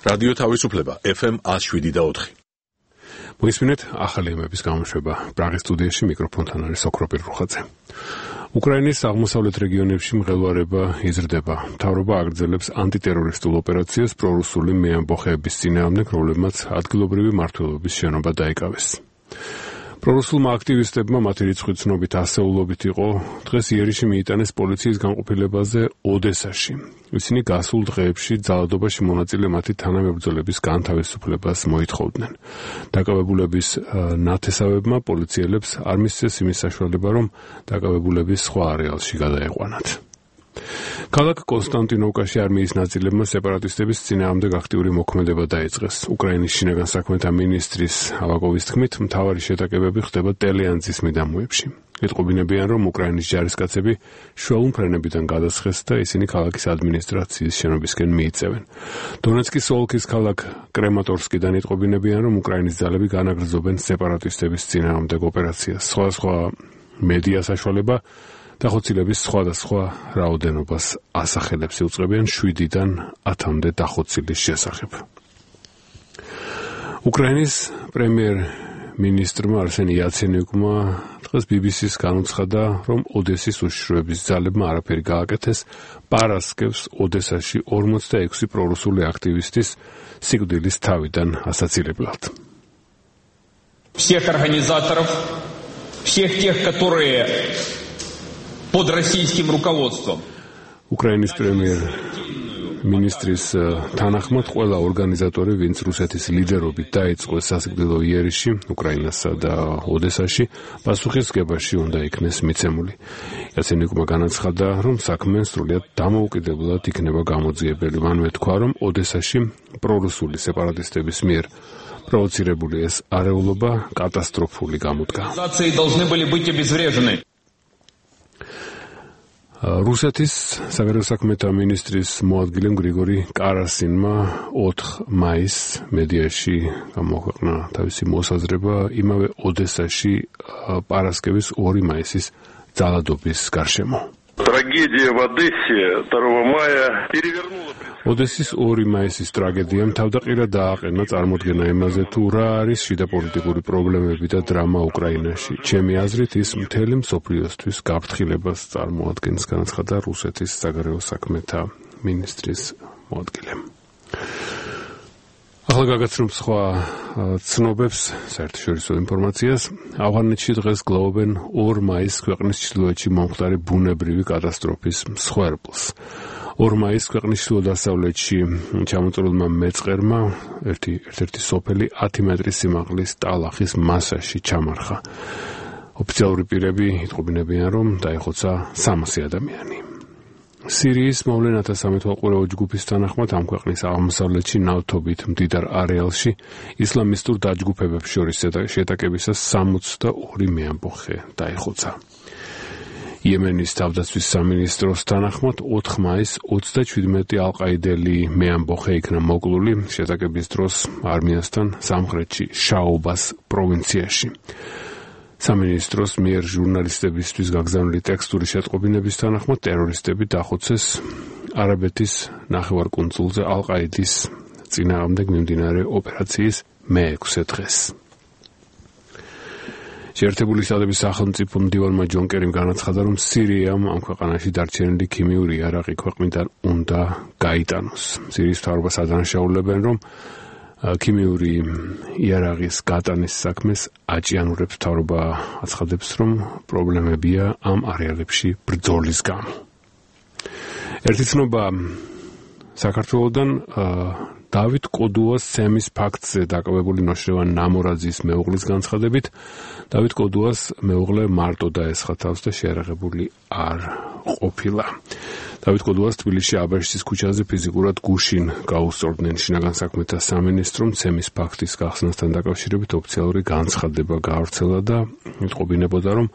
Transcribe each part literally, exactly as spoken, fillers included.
რადიო თავისუფლება ეფ ემ one oh seven point four. მოისმინეთ ახალი ემების გამოშვება. პრაღის სტუდიაში მიკროფონთან არის ოქროპირ რუხაძე. უკრაინის აღმოსავლეთ რეგიონებში მღელვარება იზრდება. მთავრობა აგრძელებს ანტიტერორისტულ ოპერაციას პრორუსული მეამბოხეების წინააღმდეგ, რომლებმაც ადგილობრივი მმართველობის შენობა დაიკავეს. პრორუსულმა აქტივისტებმა მათი რიცხვი ცნობით ასეულობით იყო დღეს იერიში მიიტანეს პოლიციის განყოფილებაზე ოდესაში. ისინი გასულ დღეებში ძალადობაში მონაწილე მათი თანამებრძოლების განთავისუფლებას მოითხოვდნენ. დაკავებულების ნათესავებმა პოლიციელებს არ მისცეს იმის საშუალება, რომ დაკავებულების სხვა არეალში გადაეყვანათ. ქალაქ კონსტანტინოვკაში არმიის ნაწილებმა სეპარატისტების წინააღმდეგ აქტიური მოქმედება დაიწყეს. უკრაინის შინაგან საქმეთა მინისტრის ავაკოვის თქმით, მთავარი შეტაკებები ხდება ტელეანძის მიდამოებში. იტყობინებიან, რომ უკრაინის ჯარისკაცები შუალ ფრენებიდან გადასხეს და ისინი ქალაქის ადმინისტრაციის შენობისკენ მიიწევენ. დონეცკის ოლქის ქალაქ კრემატორსკიდან იტყობინებიან, რომ უკრაინის ძალები განაგრძობენ სეპარატისტების წინააღმდეგ ოპერაციას. სხვადასხვა მედია საშუალება დახოცილების სხვადასხვა რაოდენობას ასახელებს, იუწყებიან შვიდიდან ათამდე დახოცილის შესახებ. უკრაინის პრემიერ-მინისტრმა არსენი იაცენიუკმა დღეს ბი ბი სის განუცხადა, რომ ოდესის უშიშროების ძალებმა არაფერი გააკეთეს პარასკევს ოდესაში ორმოცდაექვსი პრორუსული აქტივისტის სიკვდილის თავიდან ასაცილებლად. Всех организаторов, всех тех, которые под российским руководством. უკრაინის პრემიერ-მინისტრის თანახმად ყველა ორგანიზატორი, ვინც რუსეთის ლიდერობით დაიწყო სასიკვდილო იერიში უკრაინასა და ოდესაში, პასუხისგებაში უნდა იქნეს მიცემული. იაცენიუკმა განაცხადა, რომ საქმე სრულიად დამოუკიდებლად იქნება გამოძიებელი. მანვე თქვა, რომ ოდესაში პრორუსული სეპარატისტების მიერ პროვოცირებული ეს არეულობა კატასტროფული გამოდგა. რუსეთის საგარეო საქმეთა მინისტრის მოადგილემ გრიგორი კარასინმა ოთხ მაისს მედიაში გამოაქვეყნა თავისი მოსაზრება იმავე ოდესაში პარასკევის ორი მაისის ძალადობის გარშემო. Трагедия в Одессе второго мая перевернула. ოდესის ორი მაისის ტრაგედიამ თავდაყირა დააყენა წარმოდგენა იმაზე, თუ რა არის შიდა პოლიტიკური პრობლემები და დრამა უკრაინაში. ჩემი აზრით, ის მთელი მსოფლიოსთვის გაფრთხილებას წარმოადგენს, განაცხადა რუსეთის საგარეო საქმეთა მინისტრის მოადგილემ. ახლა გაგაცნობ სხვა ცნობებს, საერთაშორისო ინფორმაციას. ავღანეთში დღეს გლოვობენ ორ მაისს ქვეყნის ჩრდილოეთში მომხდარი ბუნებრივი კატასტროფის მსხვერპლს. ორ მაისს ქვეყნის ჩრდილო-დასავლეთში ჩამოწორულმა მეწყერმა ერთი ერთ-ერთი სოფელი ათი მეტრის სიმაღლის ტალახის მასაში ჩამარხა. ოფიციალური პირები იტყობინებიან, რომ დაიხოცა სამასი ადამიანი. სირიის მოვლენათა სამეთვალყურეო ჯგუფის თანახმად ამ ქვეყნის აღმოსავლეთში ნავთობით მდიდარ არეალში ისლამისტურ დაჯგუფებებს შორის შეტაკებისას სამოცდაორი მეამბოხე დაიხოცა. იემენის თავდაცვის სამინისტროს თანახმად ოთხ მაისს ოცდაჩვიდმეტი ალყაიდელი მეამბოხე იქნა მოკლული შეტაკების დროს არმიასთან სამხრეთში შაობას პროვინციაში. სამინისტროს მიერ ჟურნალისტებისთვის გაგზავნილი ტექსტური შეტყობინების თანახმად ტერორისტები დახოცეს არაბეთის ნახევარკუნძულზე ალყაიდის წინააღმდეგ მიმდინარე ოპერაციის მეექვსე დღეს. შეერთებული შტატების სახელმწიფო მდივანმა ჯონ კერიმ განაცხადა, რომ სირიამ ამ ქვეყანაში დარჩენილი ქიმიური იარაღი ქვეყნიდან უნდა გაიტანოს. სირიის მთავრობას ადანაშაულებენ, რომ ქიმიური იარაღის გატანის საქმეს აჭიანურებს. მთავრობა აცხადებს, რომ პრობლემებია ამ არეალებში ბრძოლის გამო. ერთი ცნობა საქართველოდან დავით კოდუას ცემის ფაქტზე დაკავებული ნოშრევან ნამორაძის მეუღლის განცხადებით, დავით კოდუას მეუღლე მარტო დაესხა თავს და შეარაღებული არ ყოფილა. დავით კოდუას თბილისში აბაშის ქუჩაზე ფიზიკურად გუშინ გაუსწორდნენ. შინაგან საქმეთა სამინისტრომ ცემის ფაქტის გახსნასთან დაკავშირებით ოფიციალური განცხადება გაავრცელა და იტყობინებოდა, რომ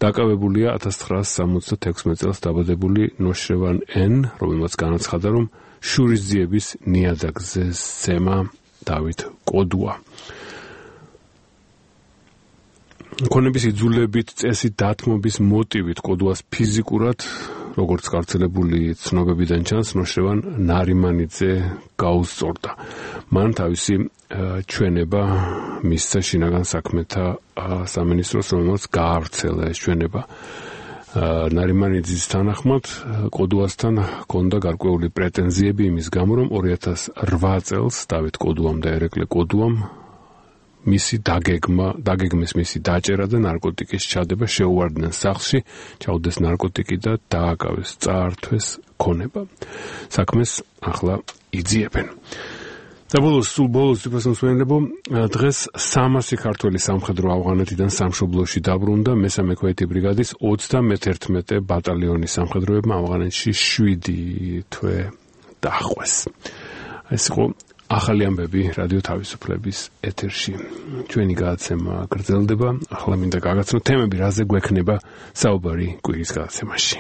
დაკავებულია ათას ცხრაასი სამოცდათექვსმეტ წელს დაბადებული ნოშრევან ენ, რომელმაც განაცხადა, რომ შურისძიების ნიადაგზე სცემა დავით კოდუა. ქონების იძულებით წესით დათმობის მოტივით კოდუას ფიზიკურად როგორც გავრცელებული ცნობებიდან ჩანს, ნოშრევან ნარიმანიძე გაუსწორდა. მან თავისი ჩვენება მისცა შინაგან საქმეთა სამინისტროს, რომელსაც გაავრცელა ეს ჩვენება. ნარიმანიძის თანახმად კოდუასთან ჰქონდა გარკვეული პრეტენზიები იმის გამო, რომ ორი ათას ოთხ წელს დავით კოდუამ და ერეკლე კოდუამ მისი დაგეგმა, დაგეგმეს მისი დაჭერა და ნარკოტიკის ჩადება შეუვარდნენ სახლში, ჩაუდეს ნარკოტიკი და დააკავეს, წაართვეს ქონება. საქმეს ახლა იძიებენ. და ბოლოს, სულ ბოლოს თვითმსმენელებო, დღეს სამასი ქართველი სამხედრო ავღანეთიდან სამშობლოში დაბრუნდა მესამე ქვეითი ბრიგადის ოცდამეთერთმეტე ბატალიონის სამხედროებმა ავღანეთში შვიდი თვე დახვეს. ეს იყო ახალი ამბები რადიო თავისუფლების ეთერში. ჩვენი გადაცემა გრძელდება, ახლა მინდა გაგაცნოთ თემები, რაზე გვექნება საუბარი კვირის გადაცემაში.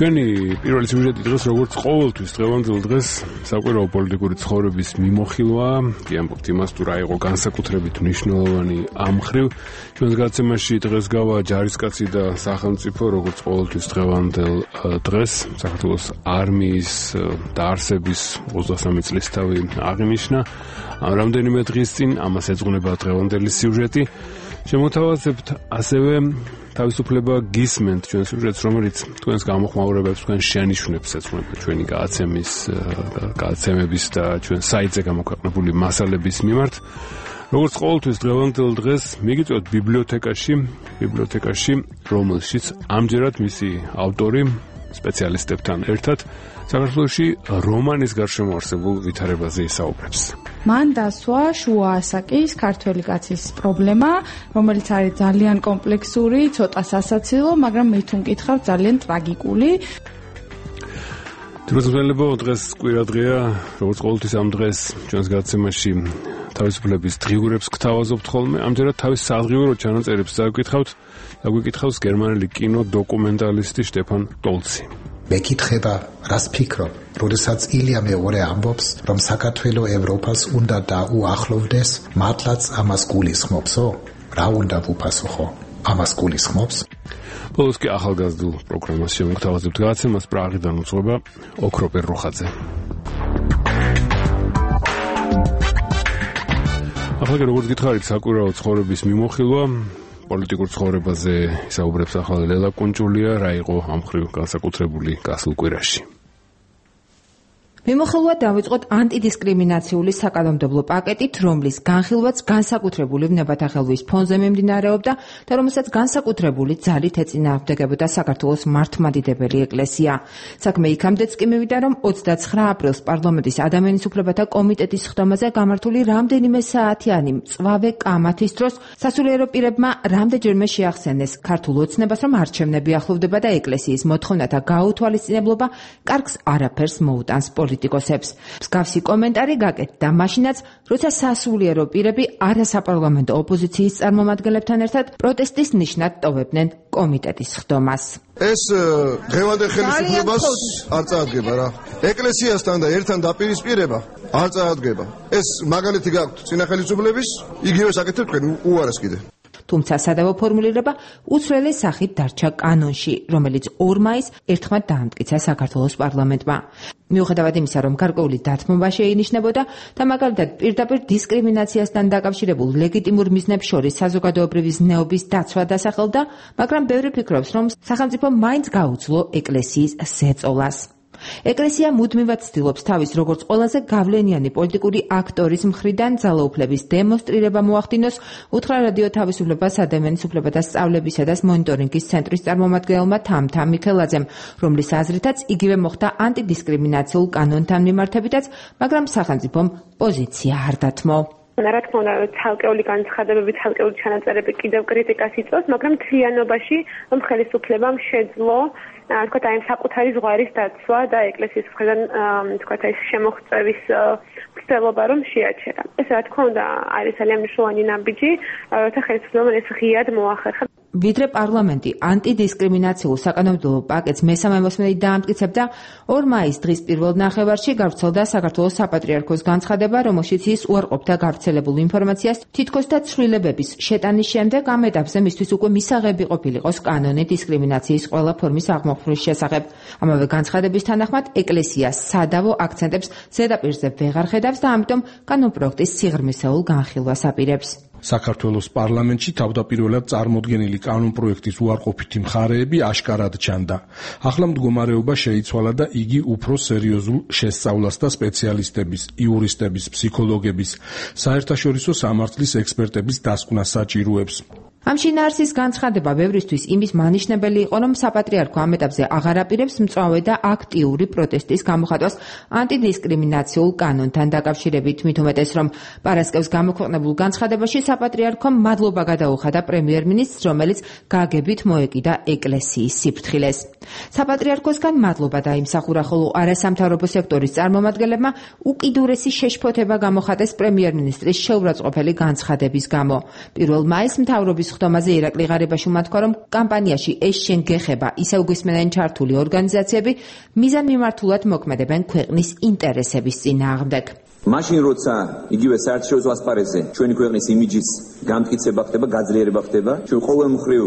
ჩვენი პირველი სიუჟეტი დღეს როგორც ყოველთვის დღევანდელ დღეს საკვირაო პოლიტიკური ცხოვრების მიმოხილვაა. კი ამბობთ იმას, თუ რა იყო განსაკუთრებით მნიშვნელოვანი ამ მხრივ. ჩვენს გადაცემაში დღეს გავა ჯარისკაცი და სახელმწიფო, როგორც ყოველთვის დღევანდელ დღეს საქართველოს არმიის დაარსების ოცდასამი წლისთავი აღინიშნა. რამდენიმე დღის წინ ამას ეძღვნება დღევანდელი სიუჟეტი. შემოთავაზებთ ასევე თავისუფლება გისმენთ ჩვენ სიუჟეტს, რომელიც თქვენს გამოხმაურებებს, თქვენ შენიშვნებს ეძღვნება ჩვენი გადაცემის გადაცემების და ჩვენ საიტზე გამოქვეყნებული მასალების მიმართ. როგორც ყოველთვის დღევანდელ დღეს მიგიწევთ ბიბლიოთეკაში, ბიბლიოთეკაში, რომელშიც ამჯერად მისი ავტორი სპეციალისტებთან ერთად საქართველოში რომანის გარშემო არსებულ ვითარებაზე ისაუბრებს. მან დასვა შუა ასაკის ქართველი კაცის პრობლემა, რომელიც არის ძალიან კომპლექსური, ცოტა სასაცილო, მაგრამ მე თუ მკითხავ ძალიან ტრაგიკული. თვითმსმენელებო, დღეს კვირა დღეა, როგორც ყოველთვის ამ დღეს ჩვენს გადაცემაში თავისუფლების დღიურებს გთავაზობთ ხოლმე. ამჯერად თავის სადღიურო ჩანაწერებს წავიკითხავთ და გვიკითხავს გერმანელი კინო დოკუმენტალისტი შტეფან ტოლცი. მეკითხება, რას ფიქრობ, როდესაც ილია მეორე ამბობს, რომ საქართველო ევროპას უნდა დაუახლოვდეს, მართლაც ამას გულისხმობსო? რა უნდა ვუპასუხო? ამას გულისხმობს? ბოლოს კი ახალგაზრდულ პროგრამას შემოგთავაზებთ გადაცემას პრაღიდან უძღვება ოქროპერ რუხაძე. ახლა როგორც გითხარით, საკვირაო ცხოვრების მიმოხილვა პოლიტიკურ ცხოვრებაზე ისაუბრებს ახლა ლელა კუნჭულია, რა იყო ამ მხრივ განსაკუთრებული გასულ კვირაში. მიმოხილვა დავიწყოთ ანტიდისკრიმინაციული საკანონმდებლო პაკეტით, რომლის განხილვაც განსაკუთრებული ვნებათახელვის ფონზე მიმდინარეობდა და რომელსაც განსაკუთრებული ძალით ეწინააღმდეგებოდა საქართველოს მართლმადიდებელი ეკლესია. საქმე იქამდეც კი მივიდა, რომ ოცდაცხრა აპრილს პარლამენტის ადამიანის უფლებათა კომიტეტის ხდომაზე გამართული რამდენიმე საათიანი მწვავე კამათის დროს სასულიერო პირებმა რამდენჯერმე შეახსენეს ქართულ ოცნებას, რომ არჩევნები ახლოვდება და ეკლესიის მოთხოვნათა გაუთვალისწინებლობა კარგს არაფერს მოუტანს პოლიტიკოსებს. მსგავსი კომენტარი გაკეთდა მაშინაც, როცა სასულიერო პირები არასაპარლამენტო ოპოზიციის წარმომადგენლებთან ერთად პროტესტის ნიშნად ტოვებდნენ კომიტეტის ხდომას. ეს დღევანდელ ხელისუფლებას არ წაადგება რა. ეკლესიასთან და ერთთან დაპირისპირება არ წაადგება. ეს მაგალითი გაქვთ წინა ხელისუფლების, იგივე საკეთებ თქვენ უარეს კიდე. თუმცა სადავო ფორმულირება უცვლელი სახით დარჩა კანონში, რომელიც ორ მაისს ერთხმად დაამტკიცა საქართველოს პარლამენტმა. მიუხედავად იმისა, რომ გარკვეული დათმობა შეინიშნებოდა და მაგალითად პირდაპირ დისკრიმინაციასთან დაკავშირებულ ლეგიტიმურ მიზნებს შორის საზოგადოებრივი ზნეობის დაცვა დასახელდა, მაგრამ ბევრი ფიქრობს, რომ სახელმწიფო მაინც გაუძლო ეკლესიის ზეწოლას. ეკლესია მუდმივად ცდილობს თავის როგორც ყველაზე გავლენიანი პოლიტიკური აქტორის მხრიდან ძალაუფლების დემონსტრირება მოახდინოს, უთხრა რადიო თავისუფლებას ადამიანის უფლებათა სწავლებისა და მონიტორინგის ცენტრის წარმომადგენელმა თამთა მიქელაძემ, რომლის აზრითაც იგივე მოხდა ანტიდისკრიმინაციულ კანონთან მიმართებითაც, მაგრამ სახელმწიფომ პოზიცია არ დათმო. რა თქმა უნდა, ცალკეული განცხადებები, ცალკეული ჩანაწერები კიდევ კრიტიკას იწვევს, მაგრამ მთლიანობაში ხელისუფლებამ შეძლო თქვათ აი საკუთარი ზღვარის დაცვა და ეკლესიის მხრიდან თქვათ აი შემოღწევის მცდელობა რომ შეაჩერა. ეს რა თქმა უნდა არის ძალიან მნიშვნელოვანი ნაბიჯი, როცა ხელისუფლებამ ეს ღიად მოახერხა. ვიდრე პარლამენტი ანტიდისკრიმინაციულ საკანონმდებლო პაკეტს მესამე მოსმენით დაამტკიცებდა, ორ მაისს დღის პირველ ნახევარში გავრცელდა საქართველოს საპატრიარქოს განცხადება, რომელშიც ის უარყოფდა გავრცელებულ ინფორმაციას თითქოს და ცვლილებების შეტანის შემდეგ ამ ეტაპზე მისთვის უკვე მისაღები ყოფილიყოს კანონი დისკრიმინაციის ყველა ფორმის აღმოფხვრვის შესახებ. ამავე განცხადების თანახმად ეკლესია სადავო აქცენტებს ზედაპირზე ვეღარ ხედავს და ამიტომ კანონპროექტის სიღრმისეულ განხილვას აპირებს. საქართველოს პარლამენტში თავდაპირველად წარმოდგენილი კანონპროექტის უარყოფითი მხარეები აშკარად ჩანდა. ახლა მდგომარეობა შეიცვალა და იგი უფრო სერიოზულ შესწავლას და სპეციალისტების, იურისტების, ფსიქოლოგების, საერთაშორისო სამართლის ექსპერტების დასკვნას საჭიროებს. ამ შინაარსის განცხადება ბევრისთვის იმის მანიშნებელი იყო, რომ საპატრიარქო ამ ეტაპზე აღარ აპირებს მწვავე და აქტიური პროტესტის გამოხატვას ანტიდისკრიმინაციულ კანონთან დაკავშირებით, მით უმეტეს, რომ პარასკევს გამოქვეყნებულ განცხადებაში საპატრიარქომ მადლობა გადაუხადა პრემიერ-მინისტრს, რომელიც გაგებით მოეკიდა ეკლესიის სიფრთხილეს. საპატრიარქოსგან მადლობა დაიმსახურა, ხოლო არასამთავრობო სექტორის წარმომადგენლებმა უკიდურესი შეშფოთება გამოხატეს პრემიერ-მინისტრის შეურაცხყოფელი განცხადების გამო. პირველ მაისს მთავრობის ხდომაზე ირაკლი ღარიბაშვილმა თქვა, რომ კამპანიაში ეს შენ გეხება ისევ გვისმენენ ჩართული ორგანიზაციები მიზანმიმართულად მოქმედებენ ქვეყნის ინტერესების წინააღმდეგ. მაშინ როცა იგივე საერთაშორისო ასპარეზზე ჩვენი ქვეყნის იმიჯის გამტკიცება ხდება, გაძლიერება ხდება, ჩვენ ყოველ მხრივ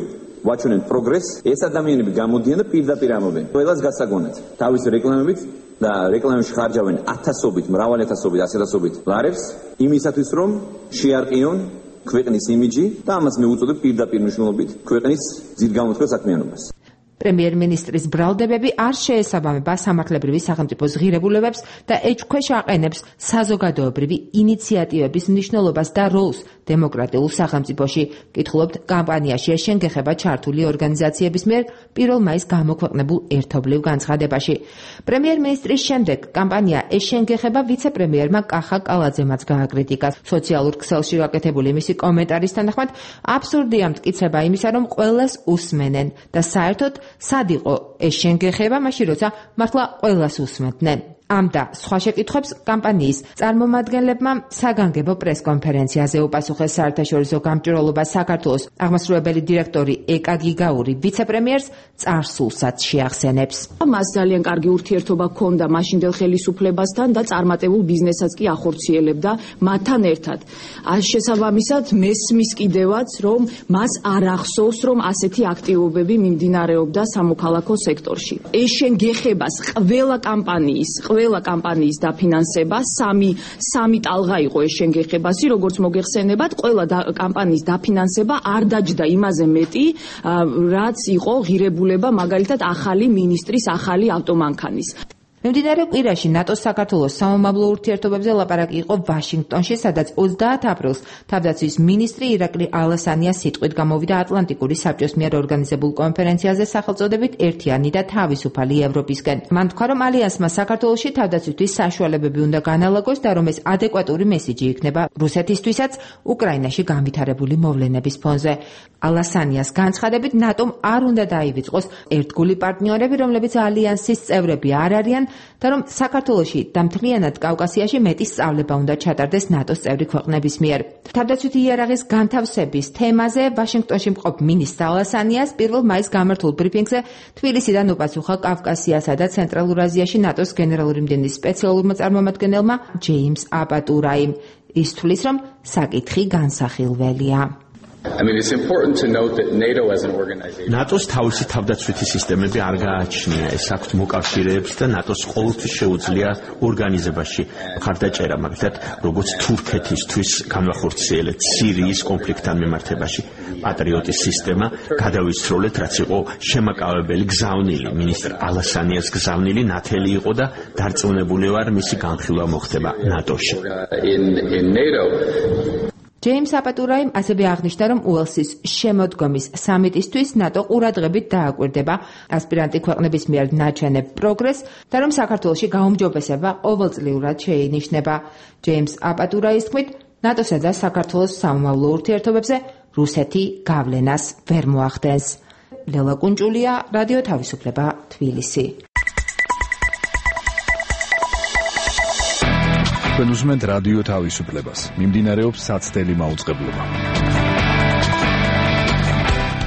ვაჩვენებთ პროგრესს, ეს ადამიანები გამოდიან და პირდაპირ ამობენ. ყველას გასაგონად თავის რეკლამებით და რეკლამებში ხარჯავენ ათასობით, მრავალი ათასობით, ასეთასობით ლარებს იმისათვის, რომ შეარყიონ ქვეყნის იმიჯი და ამას მე უწოდებ პირდაპირ მნიშვნელობით ქვეყნის ძირგამოწყალ საქმიანობას. პრემიერ-მინისტრის ბრალდებები არ შეესაბამება სამართლებრივი სახელმწიფოს ღირებულებებს და ეჭვქვეშ აყენებს საზოგადოებრივი ინიციატივების მნიშვნელობას და როლს დემოკრატიულ სახელმწიფოში. კითხულობთ კამპანიაში ეს შენ გეხება ჩართული ორგანიზაციების მიერ პირველ მაისს გამოქვეყნებულ ერთობლივ განცხადებაში. პრემიერ-მინისტრის შემდეგ კამპანია ეს შენ გეხება ვიცე-პრემიერმა კახა კალაძემაც გააკრიტიკა. სოციალურ ქსელში გაკეთებული მისი კომენტარის თანახმად აბსურდია მტკიცება იმისა, რომ ყველას უსმენენ და საერთოდ სად იყო ეს შენ გეხება, მაშინ როცა მართლა ყველას უსმენდნენ. ამ და სხვა შეკითხვებს კამპანიის წარმომადგენლებმა საგანგებო პრესკონფერენციაზე უპასუხეს საერთაშორისო გამჭვირვალობას საქართველოს აღმასრულებელი დირექტორი ეკა გიგაური ვიცე-პრემიერს წარსულსაც შეახსენებს. მას ძალიან კარგი ურთიერთობა ჰქონდა მაშინდელ ხელისუფლებასთან და წარმატებულ ბიზნესაც კი ახორციელებდა მათთან ერთად. შესაბამისად მესმის კიდევაც, რომ მას არ ახსოვს, რომ ასეთი აქტივობები მიმდინარეობდა სამოქალაქო სექტორში. ეს შენ გეხებას ყველა კამპანიის ყველა კამპანიის დაფინანსება სამი სამი ტალღა იყო ეს შენ გეხებასი, როგორც მოგეხსენებათ, ყველა კამპანიის დაფინანსება არ დაჯდა იმაზე მეტი, რაც იყო ღირებულება მაგალითად ახალი მინისტრის ახალი ავტომანქანის. მიმდინარე კვირაში ნატოს საქართველოს სამომავლო ურთიერთობებზე ლაპარაკი იყო ვაშინგტონში, სადაც ოცდაათ აპრილს თავდაცვის მინისტრი ირაკლი ალასანია სიტყვით გამოვიდა ატლანტიკური საბჭოს მიერ ორგანიზებულ კონფერენციაზე სახელწოდებით ერთიანი და თავისუფალი ევროპისკენ. მან თქვა, რომ ალიანსმა საქართველოში თავდაცვისთვის საშუალებები უნდა განალაგოს და რომ ეს ადეკვატური მესიჯი იქნება რუსეთისთვისაც უკრაინაში განვითარებული მოვლენების ფონზე. ალასანიას განცხადებით, ნატომ არ უნდა დაივიწყოს ერთგული პარტნიორები, რომლებიც ალიანსის წევრები არ არიან და რომ საქართველოში და მთლიანად კავკასიაში მეტი სწავლება უნდა ჩატარდეს ნატოს წევრი ქვეყნების მიერ. თავდაცვითი იარაღის განთავსების თემაზე ვაშინგტონში მყოფ მინისტრ ალასანიას პირველ მაისს გამართულ ბრიფინგზე თბილისიდან უპასუხა კავკასიასა და ცენტრალურ აზიაში ნატოს გენერალური მდივნის სპეციალურმა წარმომადგენელმა ჯეიმს აპატურაიმ. ის თვლის, რომ საკითხი განსახილველია. I mean, it's important to note that NATO as an organization. ნატოს თავისი თავდაცვითი სისტემები არ გააჩნია. ეს აქვთ მოკავშირეებს და ნატოს ყოველთვის შეუძლია ორგანიზებაში მხარდაჭერა, მაგალითად, როგორც თურქეთისთვის განვახორციელეთ სირიის კონფლიქტთან მიმართებაში. პატრიოტის სისტემა გადავისროლეთ, რაც იყო შემაკავებელი გზავნილი. მინისტრ ალასანიას გზავნილი ნათელი იყო და დარწმუნებული ვარ, მისი განხილვა მოხდება ნატოში. In in NATO ჯეიმს აპატურაიმ ასევე აღნიშნა, რომ უელსის შემოდგომის სამიტისთვის ნატო ყურადღებით დააკვირდება ასპირანტი ქვეყნების მიერ ნაჩვენებ პროგრესს და რომ საქართველოში გაუმჯობესება ყოველწლიურად შეინიშნება. ჯეიმს აპატურაის თქმით, ნატოსა და საქართველოს სამომავლო ურთიერთობებზე რუსეთი გავლენას ვერ მოახდენს. ლელა კუნჭულია, რადიო თავისუფლება, თბილისი. თქვენ უსმენთ რადიო თავისუფლებას. მიმდინარეობს საცდელი მაუწყებლობა.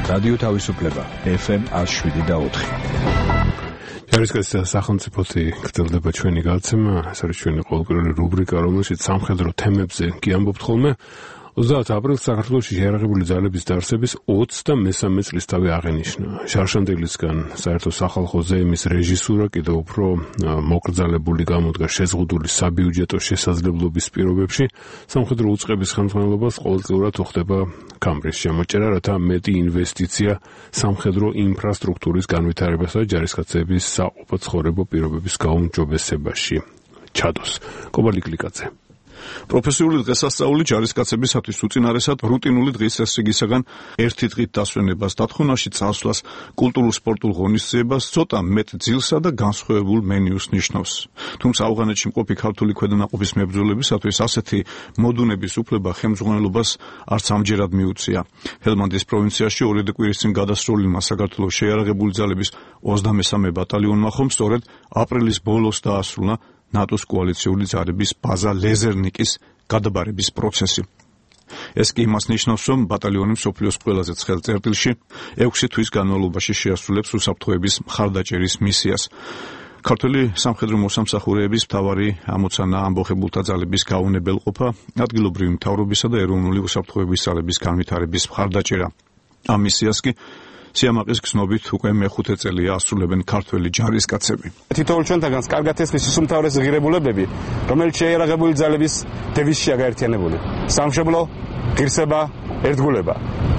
რადიო თავისუფლება ეფ ემ one oh seven point four. ჯარისკაცთა სახელმწიფოთი გრძელდება ჩვენი გადაცემა, ეს არის ჩვენი ყოველკვირეული რუბრიკა, რომელშიც სამხედრო თემებზე კი ამბობთ ხოლმე. ოცდაათ აპრილს საქართველოში შეიარაღებული ძალების დაარსების ოცდამესამე წლისთავი აღენიშნა. შარშანდელისგან საერთო სახალხო ზეიმის რეჟისურა კიდევ უფრო მოკრძალებული გამოდგა შეზღუდული საბიუჯეტო შესაძლებლობის პირობებში. სამხედრო უწყების ხელმძღვანელობას ყოველწლიურად უხდება კამბრის შემოჭერა, რათა მეტი ინვესტიცია სამხედრო ინფრასტრუქტურის განვითარებასა და ჯარისკაცების საყოფაცხოვრებო პირობების გაუმჯობესებაში ჩადოს. კობალი კლიკაძე. პროფესიული დღესასწაული ჯარისკაცებისათვის უწინარესად რუტინული დღის წესრიგისაგან ერთი დღით დასვენებას, დათხოვნაში წასვლას, კულტურულ-სპორტულ ღონისძიებას, ცოტა მეტ ძილსა და განსხვავებულ მენიუს ნიშნავს. თუმცა ავღანეთში მყოფი ქართული ქვედანაყოფის მებრძოლებისათვის ასეთი მოდუნების უფლება ხელმძღვანელობას არც ამჯერად მიუწია. ჰელმანდის პროვინციაში ორი კვირის წინ გადასრულმა საქართველოს შეიარაღებული ძალების ოცდამესამე ბატალიონმა ხომ სწორედ აპრილის ბოლოს დაასრულა ნატოს კოალიციური ძალების ბაზა ლეზერნიკის გადაბარების პროცესი. ეს კი იმას ნიშნავს, რომ ბატალიონი მსოფლიოს ყველაზე ცხელ წერტილში ექვსი თვის განმავლობაში შეასრულებს უსაფრთხოების მხარდაჭერის მისიას. ქართული სამხედრო მოსამსახურეების მთავარი ამოცანა ამბოხებულთა ძალების გაუნებელყოფა, ადგილობრივი მთავრობისა და ეროვნული უსაფრთხოების ძალების განვითარების მხარდაჭერა. ამ მისიას კი სიამაყის გზნობით უკვე მეხუთე წელია ასრულებენ ქართველი ჯარისკაცები. თითოეულ ჩვენთაგანს კარგად ესმის ის უმთავრესი ღირებულებები, რომელიც შეიარაღებული ძალების დევიზშია გაერთიანებული. სამშობლო, ღირსება, ერთგულება.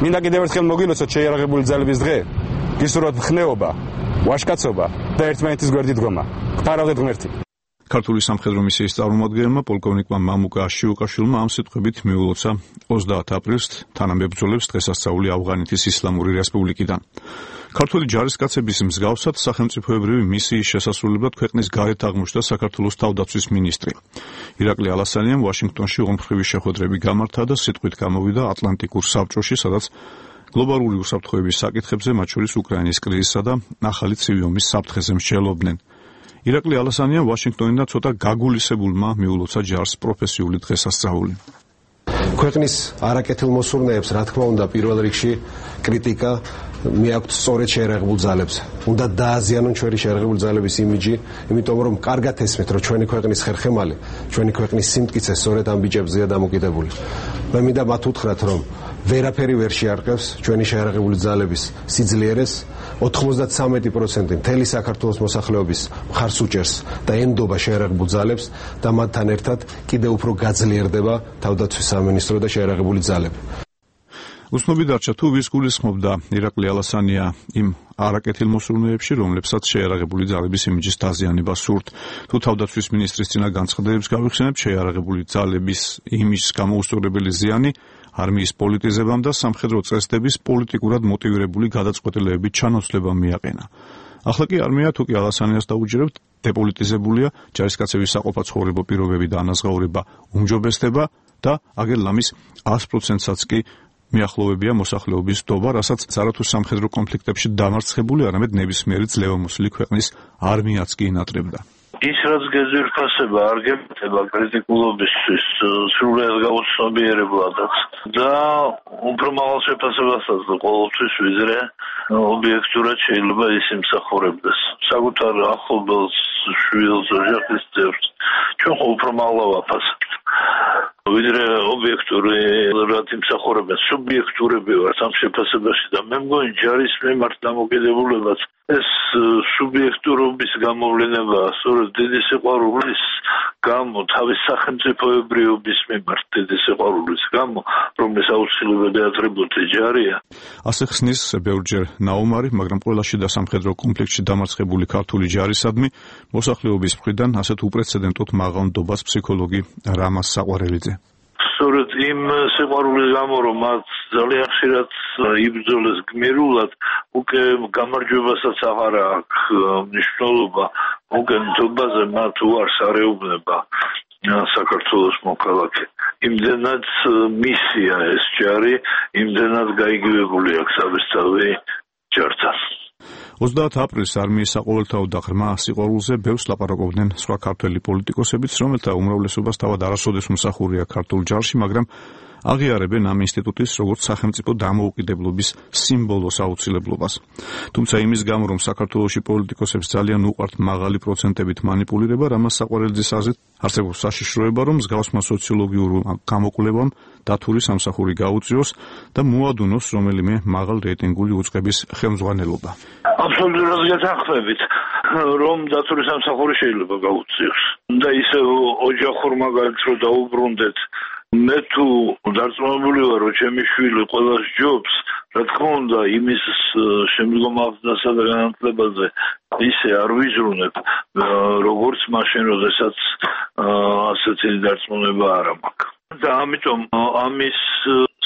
მინდა კიდევ ერთხელ მოგილოცოთ შეიარაღებული ძალების დღე, გისურვოთ მხნეობა, ვაჟკაცობა და ერთმანეთის გვერდით დგომა. გფარავდეთ ღმერთი. ქართული სამხედრო მისიის წარმომადგენელმა პოლკოვნიკმა მამუკა აშიუკაშვილმა ამ სიტყვებით მიულოცა ოცდაათ აპრილს თანამებრძოლებს დღესასწაული ავღანეთის ისლამური რესპუბლიკიდან. ქართული ჯარისკაცების მსგავსად სახელმწიფოებრივი მისიის შესასრულებლად ქვეყნის გარეთ აღმოჩნდა საქართველოს თავდაცვის მინისტრი. ირაკლი ალასანიამ ვაშინგტონში ორმხრივი შეხვედრები გამართა და სიტყვით გამოვიდა ატლანტიკურ საბჭოში, სადაც გლობალური უსაფრთხოების საკითხებზე, მათ შორის უკრაინის კრიზისსა და ახალი ცივი ომის საფრთხეზე მსჯელობდნენ. ირაკლი ალასანიამ ვაშინგტონიდან ცოტა გაგულისებულმა მიულოცა ჯარს პროფესიული დღესასწაული. ქვეყნის არაკეთილ მოსურნეებს, რა თქმა უნდა, პირველ რიგში კრიტიკა მიაქვთ სწორედ შეიარაღებულ ძალებს. უნდა დააზიანონ ჩვენი შეიარაღებული ძალების იმიჯი, იმიტომ რომ კარგად ესმით, რომ ჩვენი ქვეყნის ხერხემალი, ჩვენი ქვეყნის სიმტკიცე სწორედ ამ ბიჭებზეა დამოკიდებული. მე მინდა მათ უთხრათ, რომ ვერაფერი ვერ შეარყევს ჩვენი შეიარაღებული ძალების სიძლიერეს. ოთხმოცდათვრამეტი პროცენტი მთელი საქართველოს მოსახლეობის მხარს უჭერს და ენდობა შეიარაღებულ ძალებს და მათთან ერთად კიდევ უფრო გაძლიერდება თავდაცვის სამინისტრო და შეიარაღებული ძალები. უცნობი დარჩა თუ ვის გულისხმობდა ირაკლი ალასანია იმ არაკეთილ მოსურნეებში, რომლებსაც შეიარაღებული ძალების იმიჯის დაზიანება სურთ. თუ თავდაცვის მინისტრის წინა განცხადებებს გავიხსენებთ, შეიარაღებული ძალების იმიჯის გამოუსწორებელი ზიანი არმიის პოლიტიზებამ და სამხედრო წესდების პოლიტიკურად მოტივირებული გადაწყვეტილებებით ჩანაცვლებამ მიაყენა. ახლა კი არმია თუ კი ალასანიას დაუჯერებთ, დეპოლიტიზებულია, ჯარისკაცების საყოფაცხოვრებო პირობები და ანაზღაურება უმჯობესდება და აგერ ლამის ას პროცენტსაც კი მიახლოვებია მოსახლეობის ნდობა, რასაც არათუ სამხედრო კონფლიქტებში დამარცხებული, არამედ ნებისმიერი ძლევამოსილი ქვეყნის არმიაც კი ინატრებდა. ის რაც გეზირფასება არ გემთება კრიტიკულობისთვის სრულად გაუცნობიერებლადაც და უფრო მაღალ შეფასებასაც და ყოველთვის ვიზრე ობიექტურად შეიძლება ის იმსახურებდეს საკუთარ ახლობელს, შვილს, ოჯახის წევრს. ჩვენ ხო უფრო მაღლა ვაფასებთ. ვიდრე ობიექტური რაც იმსახურებენ, სუბიექტურები ვართ ამ შეფასებაში და მე მგონი ჯარის მიმართ დამოკიდებულებაც ეს სუბიექტურობის გამოვლენა სწორედ დიდი სიყვარულის გამო, თავის სახელმწიფოებრიობის მიმართ დიდი სიყვარულის გამო, რომლის აუცილებელი ატრიბუტი ჯარია. ასე ხსნის ბევრჯერ ნაუმარი, მაგრამ ყველა შიდა სამხედრო კონფლიქტში დამარცხებული ქართული ჯარისადმი მოსახლეობის მხრიდან ასეთ უპრეცედენტოდ მაღალ ნდობას ფსიქოლოგი რამაზ საყვარელიძე. სწორედ იმ სიყვარულის გამო, რომ მათ ძალიან ხშირად იბრძოლეს გმირულად, უკვე გამარჯვებასაც აღარ აქვს მნიშვნელობა, უკვე ნდობაზე მათ უარს არეუბნება საქართველოს მოქალაქე. იმდენად მისია ეს ჯარი, იმდენად გაიგივებული აქვს საბესწავი ჯართან. ოცდაათ აპრილს არმიის საყოველთაო და ღრმა სიყვარულზე ბევრს ლაპარაკობდნენ სხვა ქართველი პოლიტიკოსებიც, რომელთა უმრავლესობას თავად არასოდეს მსახურია ქართულ ჯარში, მაგრამ აღიარებენ ამ ინსტიტუტის როგორც სახელმწიფო დამოუკიდებლობის სიმბოლოს აუცილებლობას. თუმცა იმის გამო, რომ საქართველოში პოლიტიკოსებს ძალიან უყვართ მაღალი პროცენტებით მანიპულირება, რამას საყვარელიძის აზრით არსებობს საშიშროება, რომ მსგავსმა სოციოლოგიურ გამოკვლევამ დათური სამსახური გაუწიოს და მოადუნოს რომელიმე მაღალ რეიტინგული უწყების ხელმძღვანელობა. აბსოლუტურად გეთანხმებით, რომ დათური სამსახური შეიძლება გაუწიოს. და ისე ოჯახურ მაგალითს რო დაუბრუნდეთ, მე თუ დარწმუნებული ვარ, რომ ჩემი შვილი ყველას ჯობს, რა თქმა უნდა, იმის შემდგომ აღზრდასა და განათლებაზე ისე არ ვიზრუნებ, როგორც მაშინ, როდესაც ასეთი დარწმუნება არ მაქვს. და ამიტომ ამის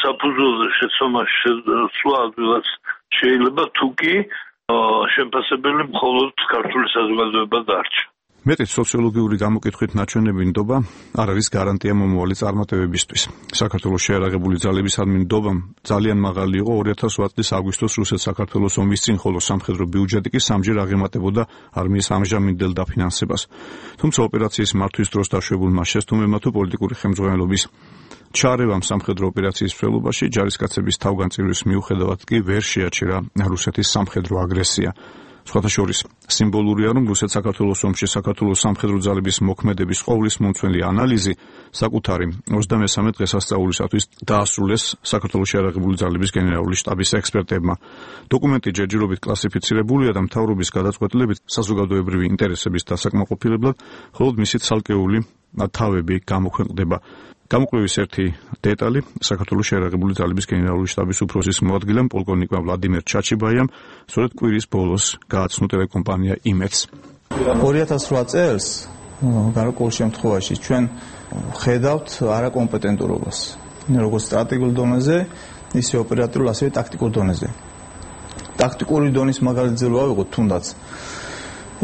საფუძველზე შეცდომაში შესვლა ადვილად შეიძლება, თუ კი შემფასებელი მხოლოდ ქართული საზოგადოება დარჩა. მეტიც სოციოლოგიური გამოკითხვით ნაჩვენები ნდობა არ არის გარანტია მომავალი წარმატებებისთვის. საქართველოს შეიარაღებული ძალებისადმი ნდობამ ძალიან მაღალი იყო ორი ათას ოთხ წლის აგვისტოს რუსეთ-საქართველოს ომის წინ, ხოლო სამხედრო ბიუჯეტი კი სამჯერ აღემატებოდა არმიის ამჟამინდელ დაფინანსებას. თუმცა ოპერაციის მართვის დროს დაშვებულმა შეცდომებმა თუ პოლიტიკური ხელმძღვანელობის ჩარევამ სამხედრო ოპერაციის მსვლელობაში ჯარისკაცების თავგანწირვის მიუხედავად კი ვერ შეაჩერა რუსეთის სამხედრო აგრესია. სხვათა შორის სიმბოლურია, რომ რუსეთ-საქართველოს ომში საქართველოს სამხედრო ძალების მოქმედების ყოვლის მომცველი ანალიზი საკუთარი ოცდამესამე დღესასწაულისათვის დაასრულეს საქართველოს შეიარაღებული ძალების გენერალური შტაბის ექსპერტებმა. დოკუმენტი ჯერჯერობით კლასიფიცირებულია და მთავრობის გადაწყვეტილებით საზოგადოებრივი ინტერესების დასაკმაყოფილებლად, ხოლო მისი ცალკეული თავები გამოქვეყნდება. გამოკვლევის ერთი დეტალი საქართველოს შეიარაღებული ძალების გენერალური შტაბის უფროსის მოადგილემ პოლკოვნიკმა ვლადიმერ ჩაჩიბაიამ სწორედ კვირის ბოლოს გააცნო ტელეკომპანია იმედს. ორი ათას ოთხ წელს გარკვეულ შემთხვევაში ჩვენ ხედავთ არაკომპეტენტურობას, როგორც სტრატეგიულ დონეზე, ისე ოპერატიულ, ასევე ტაქტიკურ დონეზე. ტაქტიკური დონის მაგალითზე ვავიღოთ თუნდაც.